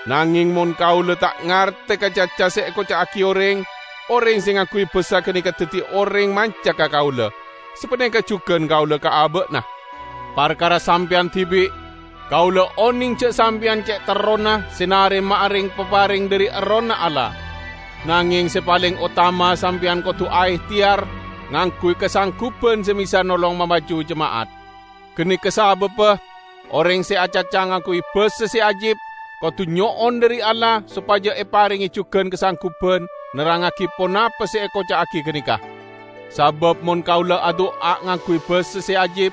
Nangèng mon kaulâ ta' ngartè ka caca sè èkoca'aghi orèng, orèng sè ngangguy bhâsa ghânèka dhâddhi orèng manca ka kaulâ. Sapanèka jhughân kaulâ ka abâ'na. Parkara sampèyan dhibi', kaulâ onèng jhâ' sampèyan cè' terrona sè narèma'a rèng-paparèng dhâri Errohna Allah. Nangèng sè palèng otama sampèyan kodhu aèhtèyar ngangguy kasangguban sè bisa nolong mamaju jema'at. Ghânèka sabâbbhâ, orèng sè acaca ngangguy bhâsa sè ajib kodhu nyo'on dhâri Allah sopajâ èparèngè jhughân kasangguban nerrangngaghi ponapa sè èkoca'aghi ghânèka. Sabâb mon kaulâ adu'a ngangguy bhâsa sè ajib,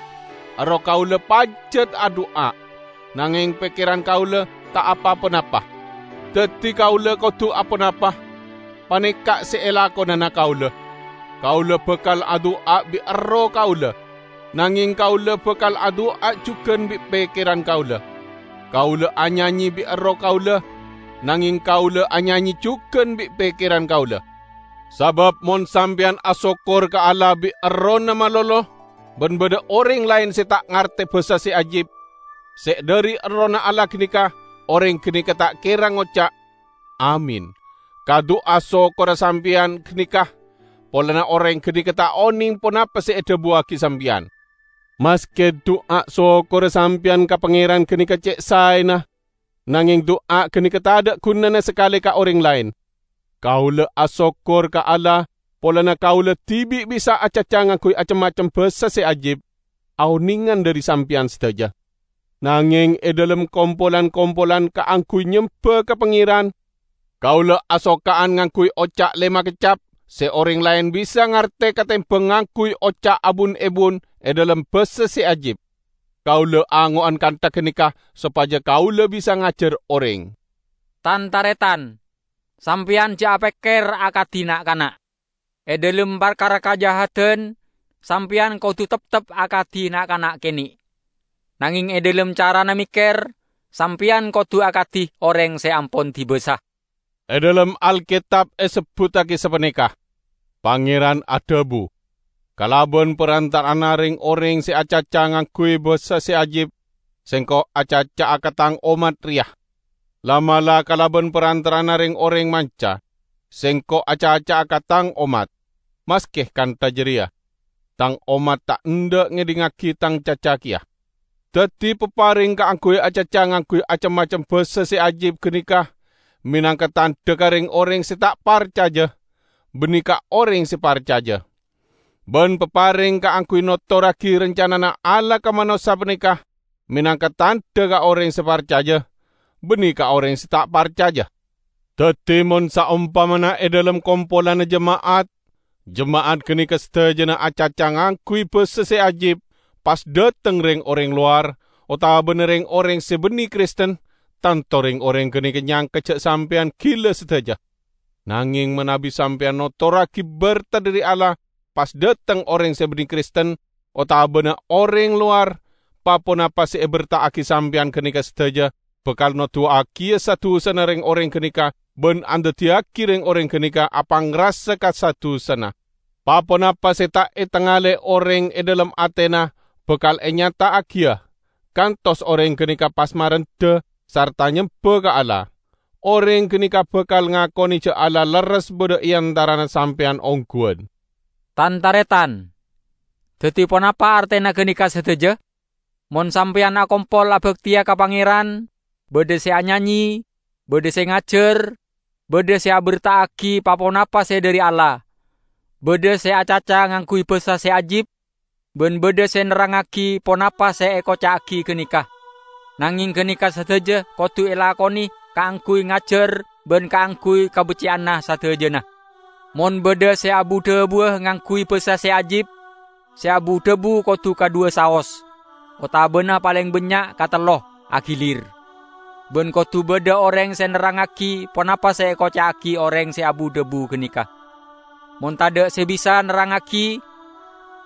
erroh kaulâ pajhât adu'a, nangèng pèkkèran kaulâ ta' apa-ponapa. Dhâddhi kaulâ kodhu aponapa? Panèka sè èlakonana kaulâ. Kaulâ bhâkal adu'a bi' erroh kaulâ, nangèng kaulâ bhâkal adu'a jhughân bi' pèkkèran kaulâ. Kaulâ anyanyè bi' erroh kaulâ, nangèng kaulâ anyanyè jhughân bi' pèkkèran kaulâ. Sabâb mon sampèyan asokkor ka Allah bi' errohna malolo, bân bâdâ orèng laèn sè ta' ngartè bhâsa sè ajib, sè dhâri Errohna Allah ghânèka, orèng ghânèka ta' kèra ngoca', "Amin," ka du'a sokkorra sampèyan ghânèka, polana orèng ghânèka ta' onèng ponapa sè èdhâbuwâghi sampèyan. Maskè du'a sokkorra sampèyan ka Pangèran ghânèka cè' saèna, nangèng du'a ghânèka tadhâ' ghunana sakalè ka orèng laèn. Kaulâ asokkor ka Allah polana kaulâ dhibi' bisa acaca ngangguy acem-macem bhâsa sè ajib, aonèngan dhâri sampèyan sadhâjâ. Nangèng è dhâlem kompolan-kompolan kaangghuy nyembhâ ka Pangèran, kaulâ asoka'an ngangguy oca' lèma keccap sè orèng laèn bisa ngartè katèmbhâng ngangguy oca' abun-èbun è dhâlem bhâsa sè ajib. Kaulâ ango'an kantha ghânèka sopajâ kaulâ bisa ngajhâr orèng. Tan-tarètan, Sampèyan jhâ' apèkkèr akadhi na'-kana'. È dhâlem parkara kajahadan, sampèyan kodhu teptep akadhi na'-kana' kènè'. Nangèng è dhâlem carana mèkkèr, sampèyan kodhu akadhi orèng sè ampon dibâsa. È dhâlem Alketab èsebbhuttaghi sapanèka, "Pangèran adhâbu, 'Kalabân parantara'anna rèng-orèng sè acaca ngangghuy bhâsa sè ajib, Sèngko' acaca'a ka Tang ommat rèya. La'-mala' kalabân parantara'anna rèng-orèng manca, Sèngko' acaca'a ka Tang ommat. Maskè kantha jârèya, Tang ommat ta' endâ' ngèdingngaghi Tang caca kèya.' Dhâddhi, paparèng kaangghuy acaca ngangghuy cem-macem bhâsa sè ajib ghânèka mènangka tandhâ ka rèng-orèng sè ta' parcajâ, bânnè ka orèng sè parcajâ. Bân paparèng kaangghuy notorraghi rancanana Allah ka manossa panèka mènangka tandhâ ka orèng sè parcajâ, bânnè ka orèng sè ta' parcajâ. Dhâddhi, mon saompamana è dhâlem kompolanna jema'at, jema'at ghânèka sadhâjâna acaca ngangghuy bhâsa sè ajib, pas dhâteng rèng-orèng lowar, otabâna rèng-orèng sè bânnè Kristen, tanto rèng-orèng ghânèka nyangka jhâ' sampèyan ghilâ sadhâjâ. Nangèng manabi sampèyan notorraghi bhertah dhâri Allah pas dhâteng orèng sè bânnè Kristen otabâna orèng lowar, pa-ponapa sè èbherta'aghi sampèyan ghânèka sadhâjâ bhâkal noduwâ'âghiyâ sa-dusana rèng-orèng ghânèka bân andaddiyâghi rèng-orèng ghânèka apangrasa ka sa-dusana. Pa-ponapa sè ta' ètangalè orèng è dhâlem atèna bhâkal ènyata'aghiyâ, kantos orèng ghânèka pas marendhâ sarta nyemba ka Allah. Orèng ghânèka bhâkal ngakonè jhâ' Allah lerres bâdâ è antarana sampèyan ongghuwân. Tan-tarètan, dhâddhi ponapa artèna ghânèka sadhâjâ? Mon sampèyan akompol abhâktèya ka Pangèran, bâdâ sè anyanyè, bâdâ sè ngajhâr, bâdâ sè abherta'aghi pa-ponapa sè dhâri Allah, bâdâ sè acaca ngangghuy bhâsa sè ajib, bân bâdâ sè nerrangngaghi ponapa sè èkoca'aghi ghânèka. Nangèng ghânèka sadhâjâ kodhu èlakonè kaangghuy ngajhâr bân kaangghuy kabhecceyanna sadhâjâna. Mon bâdâ sè abu-dhâbuwâ ngangghuy bhâsa sè ajib, sè abu-dhâbu kodhu kadhuwâ saos, otabâna palèng bânnya' katello, aghilîr. Bân kodhu bâdâ orèng sè nerrangngaghi ponapa sè èkoca'aghi orèng sè abu-dhâbu ghânèka. Mon tadâ' sè bisa nerrangngaghi,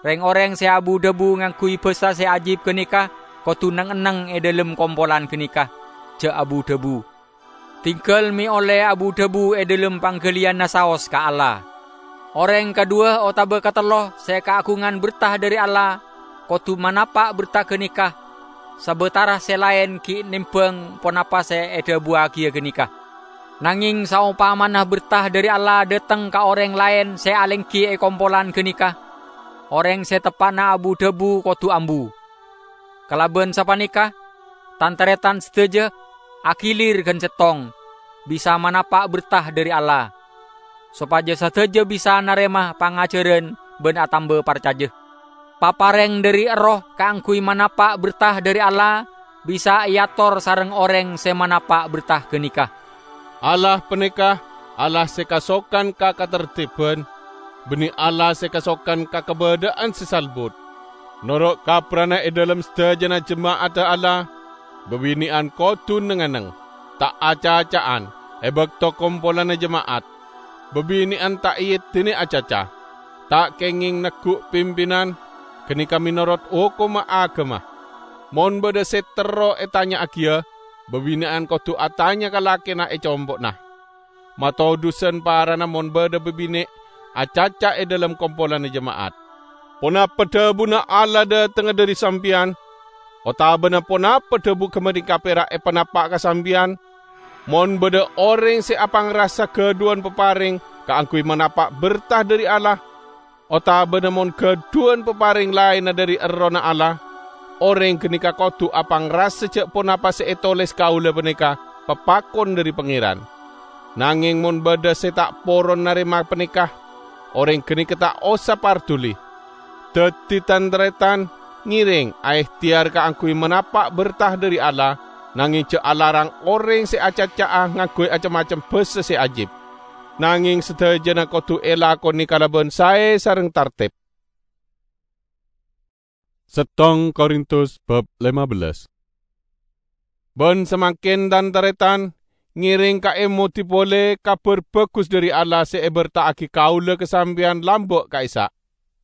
rèng-orèng sè abu-dhâbu ngangghuy bhâsa sè ajib ghânèka kodhu neng-enneng è dhâlem kompolan ghânèka, jhâ' abu-dhâbu. Tinggal mè' ollè abu-dhâbu è dhâlem pangghâliyânna saos ka Allah. Orèng kadhuwâ otabâ katello sè kaagungan bhertah dhâri Allah kodhu manapa' bhertah ghânèka, sabâtara sè laèn ghi' nèmbhâng ponapa sè èdhâbuwâghiyâ ghânèka. Nangèng saompamana bhertah dhâri Allah dhâteng ka orèng laèn sè alèngghi è kompolan ghânèka, orèng sè teppa'na abu-dhâbu kodhu ambu. Kalabân sapanèka, tan-tarètan sadhâjâ, aghilîr ghân sèttong, bisa manapa' bhertah dhâri Allah, sopajâ sadhâjâ bisa narèma pangajhârân bân atamba parcajâ. Paparèng dhâri Erroh kaangghuy manapa' bhertah dhâri Allah bisa èator sareng orèng sè manapa' bhertah ghânèka. Allah panèka Allah sè kasokan ka katertibhân, bânnè Allah sè kasokan ka kabâdâ'ân sè salbut. Noro' kaprana è dhâlem sadhâjâna jema'adda Allah, bâbinè'an kodhu neng-enneng, ta' acaca'an è bâkto kompolanna jema'at. Bâbinè'an ta' èeddinè acaca, ta' kèngèng neggu' pimpinan, ghânèka mènorot hokomma aghâma. Mon bâdâ sè terro ètanya'aghiyâ, bâbinè'an kodhu atanya ka lakèna è compo'na. Matodhusan parana mon bâdâ bâbinè' acaca è dhâlem kompolanna jema'at. Ponapa dhâbuna Allah dhâtengnga dhâri sampèyan? Otabâna ponapa dhâbu ghâpanèka pèra' èpanapa' ka sampèyan? Mon bâdâ orèng sè apangrasa ghâdhuwân paparèng kaangghuy manapa' bhertah dhâri Allah, otabâna mon ghâdhuwân paparèng laènna dhâri Errohna Allah, orèng ghânèka kodhu apangrasa jhâ' ponapa sè ètolès kaulâ panèka papakon dhâri Pangèran. Nangèng mon bâdâ sè ta' poron narèma panèka, orèng ghânèka ta' osa parduli. Dhâddhi, tan-tarètan, ngèrèng aèhtèyar kaangghuy manapa' bhertah dhâri Allah, nangèng jhâ' alarang orèng sè acaca'a ngangghuy cem-macem bhâsa sè ajib. Nangèng sadhâjâna kodhu èlakonè kalabân saè sareng tartib. Settong Korintus bab lima belas. Bân samangkèn, tan-tarètan, ngereng kaemodi pole Kabar Bagus dhari Allah se eberta'agi kaula ka sampeyan lamba' ka'issa'.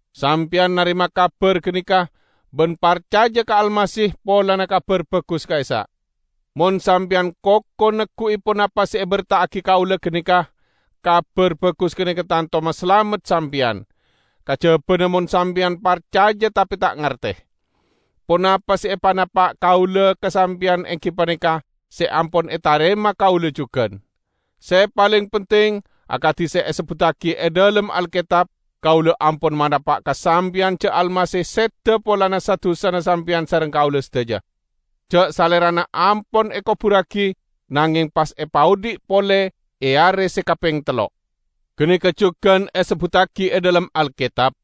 Sampeyan narema kabar ganeka ban parcaja ka Almasih polana Kabar Bagus ka'issa'. Mon sampeyan koko neggu'i ponapa se eberta'agi kaula ganeka, Kabar Bagus ganeka tanto masalamet sampeyan. Kajabana mon sampeyan parcaja tape ta' ngarte. Ponapa se epanapa' kaula ka sampeyan enggi paneka se ampon etarema kaula jugan. Se paleng penting, akadi se esebbuttagi e dhalem Alketab, kaula ampon manapa' ka sampeyan ja' Almasih seda polana sa-dusana sampeyan sareng kaula sadaja. Ja' Salerana ampon ekoburragi, nangeng pas epaodhi' pole e are se kapeng tello'. Ganeka jugan esebbuttagi e dhalem Alketab,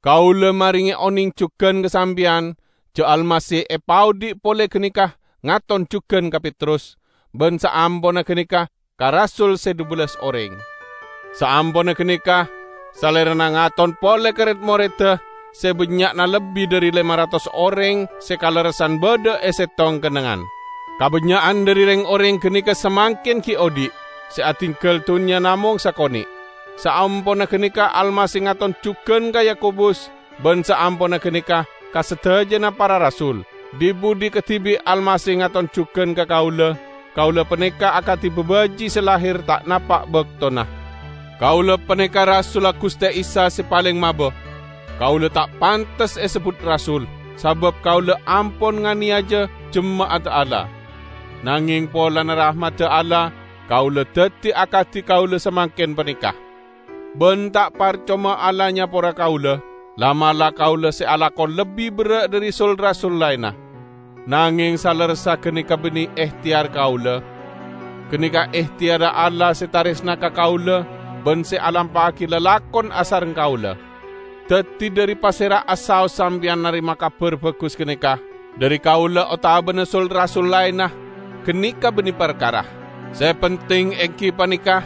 "Kaula marenge oneng jugan ka sampeyan, ja' Almasih epaodhi' pole ganeka ngaton jugan ka Petrus, ban saamponna ganeka ka rasul se dhubellas oreng." Saamponna ganeka, Salerana ngaton pole ka red-moredda se bannya'na lebbi dhari lema ratos oreng se kalerressan badha e settong kennengngan. Kabannya'an dhari reng-oreng ganeka samangken gi' odhi', se adinggal dunnya namong sakone'. Saamponna ganeka Almasih ngaton jugan ka Yakobus, ban saamponna ganeka ka sadajana para rasul. Dhi-budhi kadhibi' Almasih ngaton jugan ka kaula, kaula paneka akadi babaji' se lahir ta' napa' baktona. Kaula paneka rasulla Guste Isa se paleng maba. Kaula ta' pantes esebbut rasul, sabab kaula ampon nganeyaja jema'adda Allah. Nangeng polana rahmadda Allah, kaula daddi akadi kaula samangken paneka. Ban ta' parcoma Allah nyapora kaula, la'-mala' kaula se alako lebbi berra' dhari sul-rasul laenna. Nangeng salerressa ganeka banne ehteyar kaula. Ganeka ehteyarra Allah se taresna ka kaula ban se alampa'agi lalakon asareng kaula. Daddi dhari pasera asaos sampeyan narema Kabar Bagus ganeka? Dhari kaula otabana sul-rasul laenna, ganeka banne parkara. Se penting enggi paneka,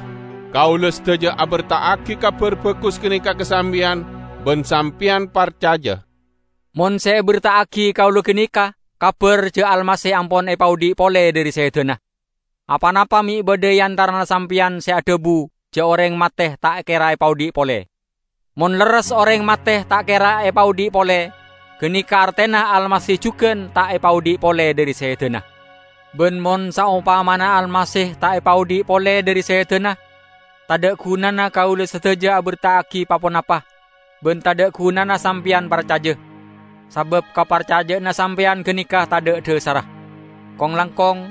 kaula sadaja aberta'agi Kabar Bagus ganeka ka sampeyan, ban sampeyan parcaja. Mon se eberta'agi kaula ganeka kabar ja' Almasih ampon epaodhi' pole dhari sedana. Aponapa me' badha e antarana sampeyan se adhabu ja' oreng mate ta' kera epaodhi' pole? Mon lerres oreng mate ta' kera epaodhi' pole, ganeka artena Almasih jugan ta' epaodhi' pole dhari sedana. Ban mon saompamana Almasih ta' epaodhi' pole dhari sedana, tadha' gunana kaula sadaja aberta'agi pa-ponapa, ban tadha' gunana sampeyan parcaja, sabab kaparcaja'anna sampeyan ganeka tadha' dhasarra. Kong-langkong,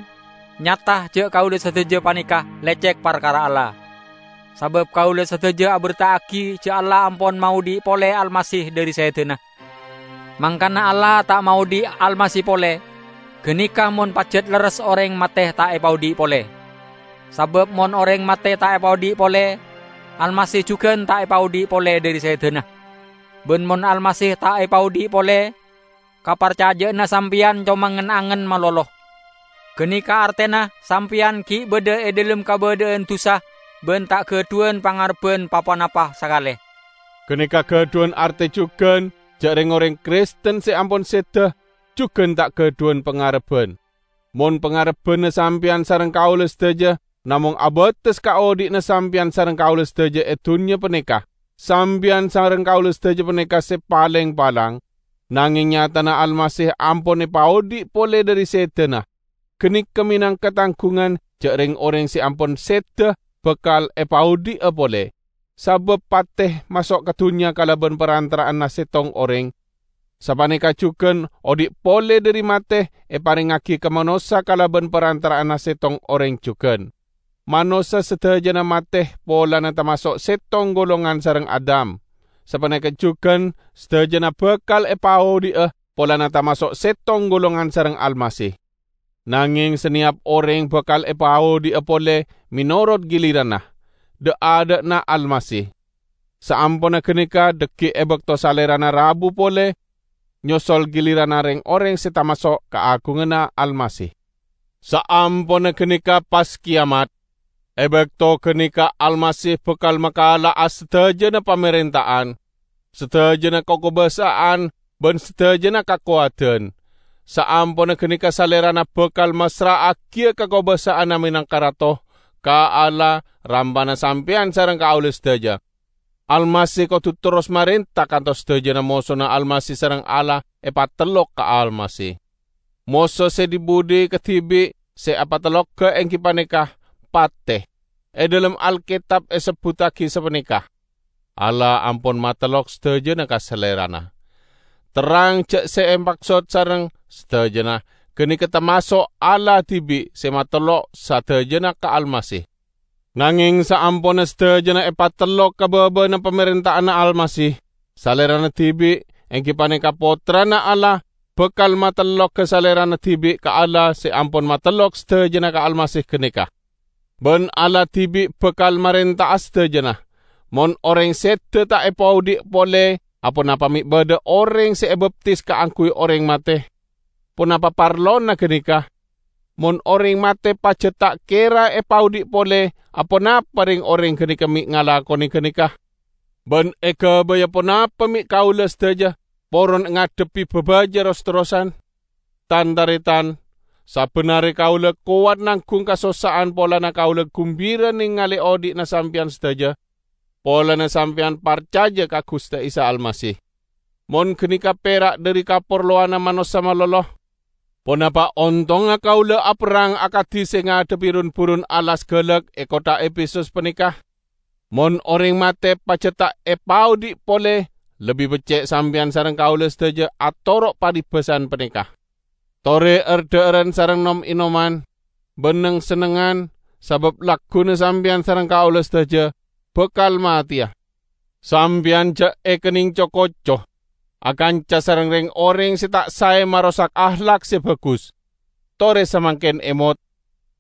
nyata ja' kaula sadaja paneka lecek parkara Allah. Sabab kaula sadaja aberta'agi ja' Allah ampon maodhi' pole Almasih dhari sedana. Mangkana Allah ta' maodhi' Almasih pole, ganeka mon pajat lerres oreng mate ta' epaodhi' pole. Sabab mon oreng mate ta' epaodhi' pole, Almasih jugan ta' epaodhi' pole dhari sedana. Ban mon Almasih ta' epaodhi' pole, kaparcaja'anna sampeyan coma ngen-angen malolo. Ganeka artena sampeyan gi' badha e dhalem kabadha'an dusa ban ta' gadhuwan pangarebban pa-ponapa sakale. Ganeka gadhuwan arte jugan ja' reng-oreng Kristen se ampon seda jugan ta' gadhuwan pangarebban. Mon pangarebbanna sampeyan sareng kaula sadaja namong abates ka odhi'na sampeyan sareng kaula sadaja e dunnya paneka, sampeyan sareng kaula sadaja paneka se paleng palang, nangeng nyatana Almasih ampon epaodhi' pole dhari sedana. Ganeka menangka tanggungan ja' reng-oreng se ampon seda bakal epaodhi'a pole. Sabab pate maso' ka dunnya kalaban parantara'anna settong oreng, sapaneka jugan odhi' pole dhari mate eparengngagi ka manossa kalaban parantara'anna settong oreng jugan. Manossa sadajana mate polana tamaso' settong golongan sareng Adam. Sapaneka jugan sadajana bakal epaodhi'a polana tamaso' settong golongan sareng Almasih. Nangeng saneyap oreng bakal epaodhi'a pole menorot giliranna, dha'-adha'na Almasih. Saamponna ganeka dhaggi' e bakto Salerana rabu pole, nyosol giliranna reng-oreng se tamaso' kaagunganna Almasih. Saamponna ganeka pas keyamat, e bakto ganeka Almasih bakal makala'a sadajana pamarenta'an, sadajana kakobasa'an, ban sadajana kakowadan. Saamponna ganeka Salerana bakal massra'agiya kakobasa'anna menangka Rato ka Allah rampana sampèyan sareng kaulâ sadhâjâ. Almasih kodhu terros marènta kantos sadhâjâna mosona Almasih sareng Allah èpatellok ka Almasih. Moso sè dhi-budhi kadhibi' sè èpatellogghâ èngghi panèka patè. È dhâlem Alkètab èsebbhuttaghi sapanèka, "Allah ampon matellok sadhâjâna ka Salèrana." Terrang jhâ' sè èmaksod sareng sadhâjâna ghânèka tamaso' Allah dhibi' sè matellok sadhâjâna ka Almasih. Nangèng saamponna sadhâjâna èpatellok ka bâbâna pamarènta'anna Almasih, Salèrana dhibi', èngghi panèka Pottrana Allah, bhâkal matellogghâ Salèrana dhibi' ka Allah sè ampon matellok sadhâjâna ka Almasih ghânèka. Bân Allah dhibi' bhâkal marènta'a sadhâjâna. Mon orèng sèdhâ ta' èpaodi' polè, aponapa mè' bâdâ orèng sè èbaptis kaangghuy orèng matè? Ponapa parlona ghânèka? Mon orèng matè pajhât ta' kèra èpaodi' polè, aponapa rèng-orèng ghânèka mè' ngalakonè ghânèka? Bân èghâbâyâ ponapa mè' kaulâ sadhâjâ poron ngadhebbhi bhâbhâjâ ros-terrosan? Tan-tarètan, sabâna arè kaulâ kowat nangghung kasossa'an polana kaulâ ghumbira nèngalè odi'na sampèyan sadhâjâ, polana sampèyan parcajâ ka Ghustè Isa Almasih. Mon ghânèka pèra' dhâri kaparlowanna manossa malolo, ponapa ontongnga kaulâ aperrang akadhi sè ngadhebbhi run-burun alas ghâlâk è kottha Efesus panèka? Mon orèng matè pajhât ta' èpaodi' polè, lebbi beccè' sampèyan sareng kaulâ sadhâjâ atoro' paribâsan panèka. Torè er-dhâ'ârân sareng nom-ènoman, bân neng-sennengngan, sabâb lagghuna sampèyan sareng kaulâ sadhâjâ bhâkal matèya. Sampèyan jhâ' èkennèng co-koco, akanca sareng rèng-orèng sè ta' saè marosak ahlak sè bhâghus. Torè samangkèn èmot,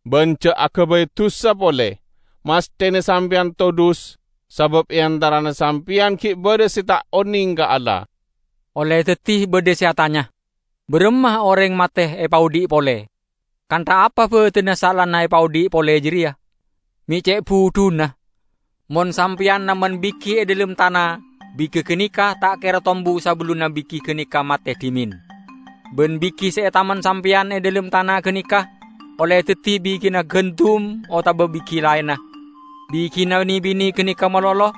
bân jhâ' aghâbây dusa polè. Masthèna sampèyan todus, sabâb è antarana sampèyan ghi' bâdâ sè ta' onèng ka Allah. Ollè dhâddhi bâdâ sè atanya, "Bârâmma orèng matè èpaodi' polè? Kantha apa bâdânna saellana èpaodi' polè jârèya? Mè' cè' budhuna? Mon sampèyan namen bighi è dhâlem tana, bighi ghânèka ta' kèra tombu sabellunna bighi ghânèka matè dhimèn. Bân bighi sè ètamen sampèyan è dhâlem tana ghânèka ollè dhâddhi bighina ghândum otabâ bighi laènna. Bighina ne-bine ghânèka malolo,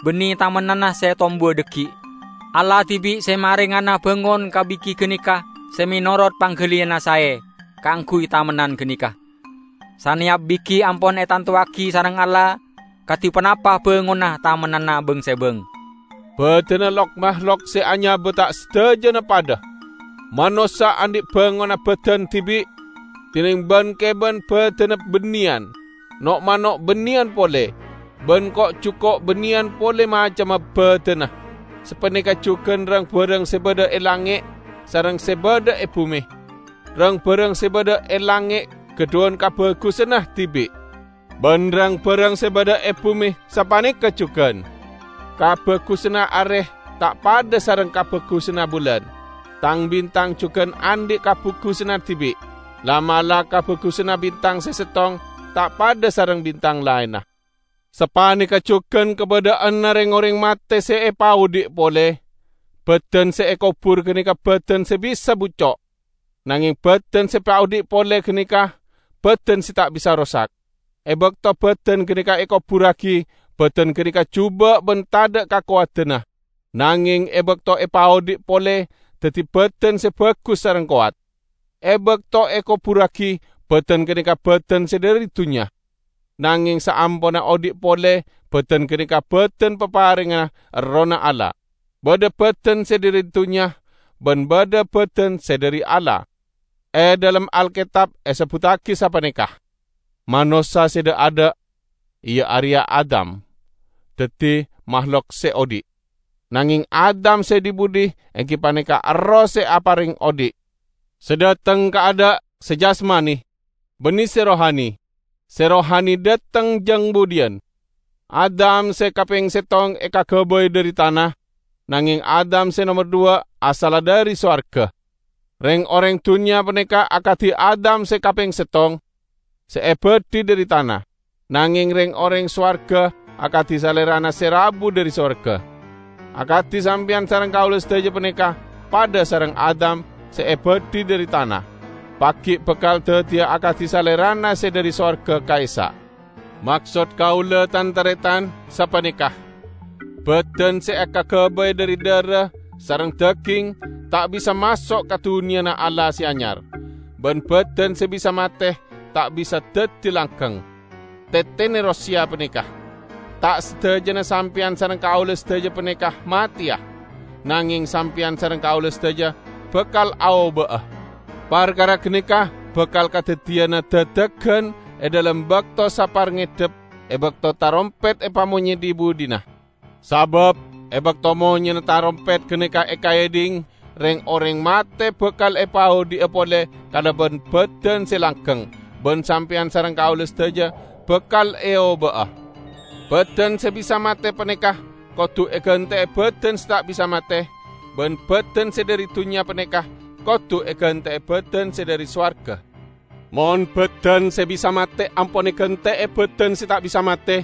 bânnè tamennanna sè tombuwâ dhâggi'. Allah dhibi' sè marengana bângon ka bighi ghânèka sè mènorot pangghâliyânna saè kaangghuy tamennan ghânèka. Saneyap bighi ampon ètantowaghi sareng Allah kadhi ponapa bângonna tamennanna bâng-sèbâng." Bâdânna lok-mahlok sè anyabâ ta' sadhâjâna padâ. Manossa andhi' bângonna bâdân dhibi', dineng bân-kèbân bâdânna bânnèyan, no'-mano' bânnèyan polè, bân ko'-juko' bânnèyan polè macemma bâdânna. Sapanèka jhughân rang-bhârâng sè bâdâ è langngè' sareng sè bâdâ è bhumè. Rang-bhârâng sè bâdâ è langngè' ghâdhuwân kabhâghusânna dhibi'. Bân rang-bhârâng sè bâdâ è bhumè sapanèka jhughân. Kabhâghusânna arè ta' padâ sareng kabhâghusânna bulân. Tang-bintang jhughân andhi' kabhâghusânna dhibi'. La'-mala' kabhâghusânna bintang sè sèttong ta' padâ sareng bintang laènna. Sapanèka jhughân kabâdâ'ânna rèng-orèng matè sè èpaodi' polè. Bâdân sè èkobhur ghânèka bâdân sè bisa bucco'. Nangèng bâdân sè èpaodi' polè ghânèka bâdân sè ta' bisa rosak. È bâkto bâdân ghânèka èkobhurraghi, bâdân ghânèka jhubâ' bân tadâ' kakowadanna. Nangèng è bâkto èpaodi' polè, dhâddhi bâdân sè bhâghus sareng kowat. È bâkto èkobhurraghi, bâdân ghânèka bâdân sè dhâri dhunnya. Nangèng saamponna odi' polè, bâdân ghânèka bâdân paparèngnga Errohna Allah. Bâdâ bâdân sè dhâri dhunnya, bân bâdâ bâdân sè dhâri Allah. È dhâlem Alkètab èsebbhuttaghi sapanèka, "Manossa sè dâ'-adâ', iyâ arèya Adam, dhâddhi mahlok sè odi'. Nangèng Adam sè dhi-budhi èngghi panèka erroh sè aparèng odi'. Sè dâteng kaadâ' sè jasmani, bânnè sè rohani, sè rohani dâteng jâng budhiyân. Adam sè kapèng sèttong èkaghâbây dhâri tana, nangèng Adam sè nomer duwâ' asalla dhâri sowarghâ. Rèng-orèng dhunnya panèka akadhi Adam sè kapèng sèttong, sè èbâdhi dhâri tana, nangèng rèng-orèng sowarghâ akadhi Salèrana sè rabu dhâri sowarghâ. Akadhi sampèyan sareng kaulâ sadhâjâ panèka padâ sareng Adam sè èbâdhi dhâri tana, paggi' bhâkal dhâddhiyâ akadhi Salèrana sè dhâri sowarghâ ka'issa'. Maksod kaulâ, tan-tarètan, sapanèka: bhâdhân sè èkaghâbây dhâri dhârâ sareng dhâghing ta' bisa maso' ka dhunnyana Allah sè anyar, bân bhâdhân sè bisa matè ta' bisa dhâddhi langghâng. Tètènè rosèya panèka: ta' sadhâjâna sampèyan sareng kaulâ sadhâjâ panèka matèya, nangèng sampèyan sareng kaulâ sadhâjâ bhâkal aobâ'â. Parkara ghânèka bhâkal kadhâddhiyânna dhâdhâghân è dhâlem bâkto sapar ngèddhep, è bâkto tarompèt èpamonyè dhi-budhina. Sabâb è bâkto monyèna tarompèt ghânèka èkaèdhing, rèng-orèng matè bhâkal èpaodi'â polè kalabân bhâdhân sè langghâng, bân sampèyan sareng kaulâ sadhâjâ bhâkal èobâ'â. Bhâdhân sè bisa matè panèka kodhu èghântè'è bhâdhân sè ta' bisa matè, bân bhâdhân sè dhâri dhunnya panèka kodhu èghântè'è bhâdhân sè dhâri sowarghâ. Mon bhâdhân sè bisa matè ampon èghântè'è bhâdhân sè ta' bisa matè,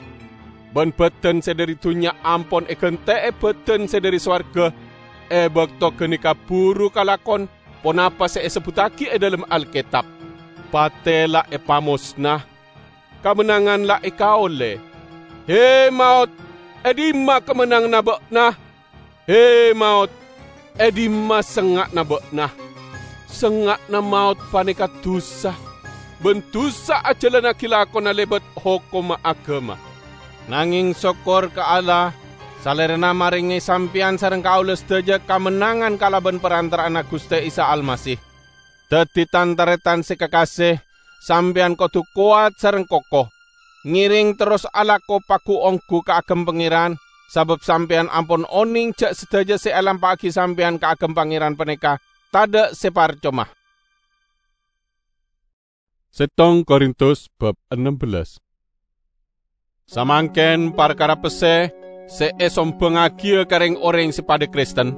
bân bhâdhân sè dhâri dhunnya ampon èghântè'è bhâdhân sè dhâri sowarghâ, è bâkto ghânèka buru kalakon ponapa sè èsebbhuttaghi è dhâlem Alkètab, "Patè la èpamosna, kamennangan la èkaollè. He, maot, è dimma kamennanganna bâ'na? He, maot, è dimma sengnga'na bâ'na? Sengnga'na maot panèka dhusa, bân dhusa ajhâlannaghi lakona lèbât hokomma aghâma." Nangèng sokkor ka Allah, Salèrana marèngè sampèyan sareng kaulâ sadhâjâ kamennangan kalabân parantara'anna Ghustè Isa Almasih. Dhâddhi, tan-tarètan sè kakasè, sampèyan kodhu kowat sareng koko. Ngèrèng terros alako pagu-onggu kaagem Pangèran, sabâb sampèyan ampon onèng jhâ' sadhâjâ sè èlampa'aghi sampèyan kaagem Pangèran panèka tadhâ' sè parcoma. Settong Korintus bab ennem bellas. Samangkèn parkara pèssè sè èsombhângaghiyâ ka rèng-orèng sè padâ Kristen,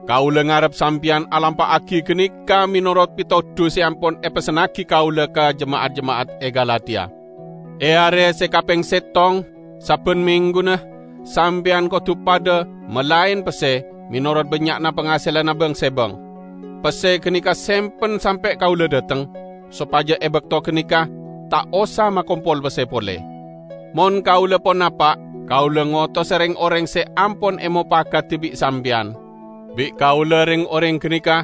kaulâ ngarep sampèyan alampa'aghi ghânèka mènorot pètodhu sè ampon èpessennaghi kaulâ ka jema'at-jema'at è Galatia. È arè sè kapèng settong, sabbhân mèngghuna, sampèyan kodhu padâ malaèn pèssè mènorot bânnya'na pangasèlanna bâng-sèbâng. Pèssè ghânèka sèmpen sampè' kaulâ dâteng, sopajâ è bâkto ghânèka ta' osa makompol pèssè polè. Mon kaulâ ponapa, kaulâ ngotosa rèng-orèng sè ampon èmopagadhi bi' sampèyan. Bi' kaulâ rèng-orèng ghânèka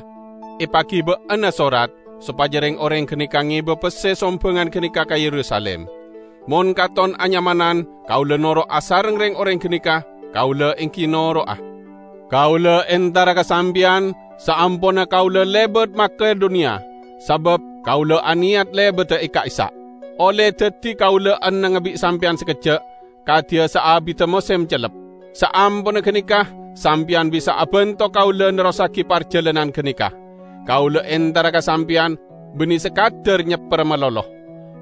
èpaghibâ'âna sorat, sopajâ rèng-orèng ghânèka ngèbâ pèssè sombhângan ghânèka ka Yerusalim. Mon katon anyamanan kaulâ noro' asareng rèng-orèng ghânèka, kaulâ èngghi noro'a. Kaulâ entara ka sampèyan saamponna kaulâ lèbât Makedoniya, sabâb kaulâ anèyat lèbâdhâ è ka'issa'. Ollè dhâddhi kaulâ ennengnga bi' sampèyan sakejjhâ', kadhiyâ saabiddhâ mosèm cellep. Saamponna ghânèka, sampèyan bisa abhânto kaulâ nerrossaghi parjhâlânan ghânèka. Kaulâ entara ka sampèyan bânnè sakadhâr nyèpper malolo.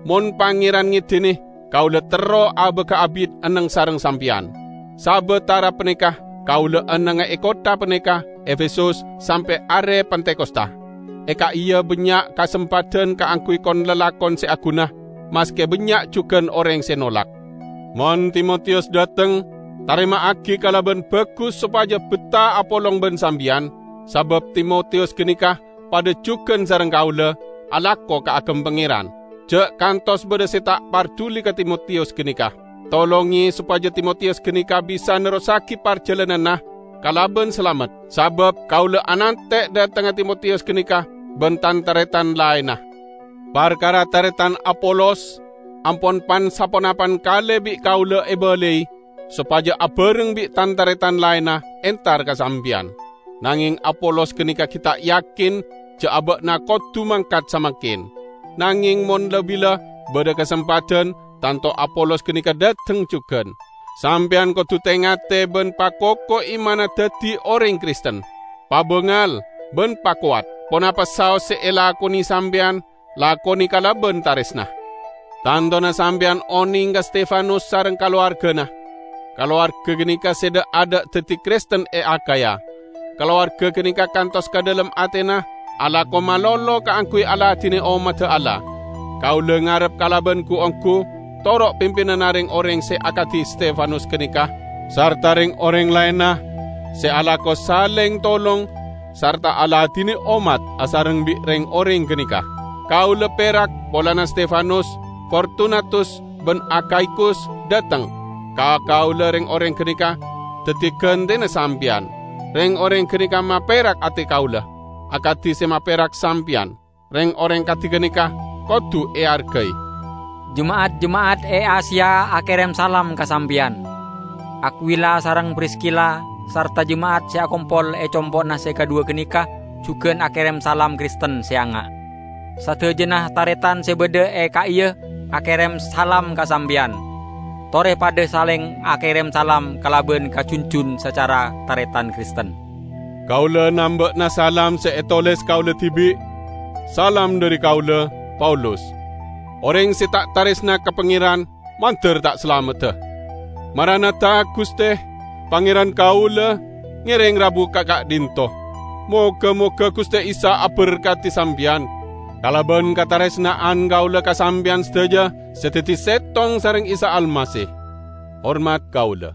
Mon Pangèran ngèdhinè, kaulâ terro abâgâ abit enneng sareng sampèyan. Sabâtara panèka kaulâ ennengnga è kottha panèka, Efesus, sampè' arè Pentakosta. È ka'iyâ bânnya' kasempadhân kaangghuy kon-lalakon sè aghuna, maskè bânnya' jhughân orèng sè nolak. Mon Timotiyus dâteng, tarèma'aghi kalabân bhâghus sopajâ bettah apolong bân sampèyan, sabâb Timotiyus ghânèka padâ jhughân sareng kaulâ alako kaagem Pangèran. Jhâ' kantos bâdâ sè ta' parduli ka Timotiyus ghânèka. Tolongè sopajâ Timotiyus ghânèka bisa nerrossaghi parjhâlânanna kalabân salamet, sabâb kaulâ anantè' dâtengnga Timotiyus ghânèka bân tan-tarètan laènna. Parkara tarètan Apolos ampon pan-saponapan kalè bi' kaulâ èbâlâi, sopajâ abhâreng bi' tan-tarètan laènna entar ka sampèyan. Nangèng Apolos ghânèka ghi' ta' yakin jhâ' abâ'na kodhu mangkat samangkèn. Nangèng mon la-bila bâdâ kasempadhân, tanto Apolos ghânèka dâteng jhughân. Sampèyan kodhu tè-ngatè bân pakoko imanna dhâddhi orèng Kristen. Pabângal bân pakowat. Ponapa saos sè èlakonè sampèyan, lakonè kalabân tarèsna. Tantona sampèyan onèng ka Stefanus sareng kalowarghâna. Kalowarghâ ghânèka sè dhâ'-adhâ' dhâddhi Kristen è Akhaya. Kalowarghâ ghânèka kantos ka dhâlem atèna alako malolo kaangghuy aladhinè ommaddhâ Allah. Kaulâ ngarep kalabân ghu-ongghu toro' pimpinanna rèng-orèng sè akadhi Stefanus ghânèka, sarta rèng-orèng laènna sè alako salèng tolong sarta aladhinè ommat asareng bi' rèng-orèng ghânèka. Kaulâ pèrak polana Stefanus, Fortunatus, ban Akhaikus dhateng ka kaula reng-oreng ganeka daddi ghantena sampeyan. Reng-oreng ganeka maperak ate kaula, akadi se maperak sampeyan. Reng-oreng kadi ganeka kodu eargai. Jema'at-jema'at e Asia akerem salam ka sampeyan. Akwila sareng Priskila sarta jema'at se akompol e compo'na se kadhuwa ganeka jugan akerem salam Kristen se anga'. Sadajana taretan se badha e ka'iya akerem salam ka sampeyan. Tore padha saleng akerem salam kalaban kajunjun sacara taretan Kristen. Kaula namba'na salam se etoles kaula dibi'. Salam dhari kaula, Paulus. Oreng se ta' taresna ka Pangeran, mandar ta' salamedda. Maranatha, Guste, Pangeran kaula ngereng rabu ka ka'dhinto. Moga-moga Guste Isa aberkadi sampeyan, kalaban kataresna'an kaula ka sampeyan sadaja se daddi settong sareng Isa Almasih. Hormat kaula.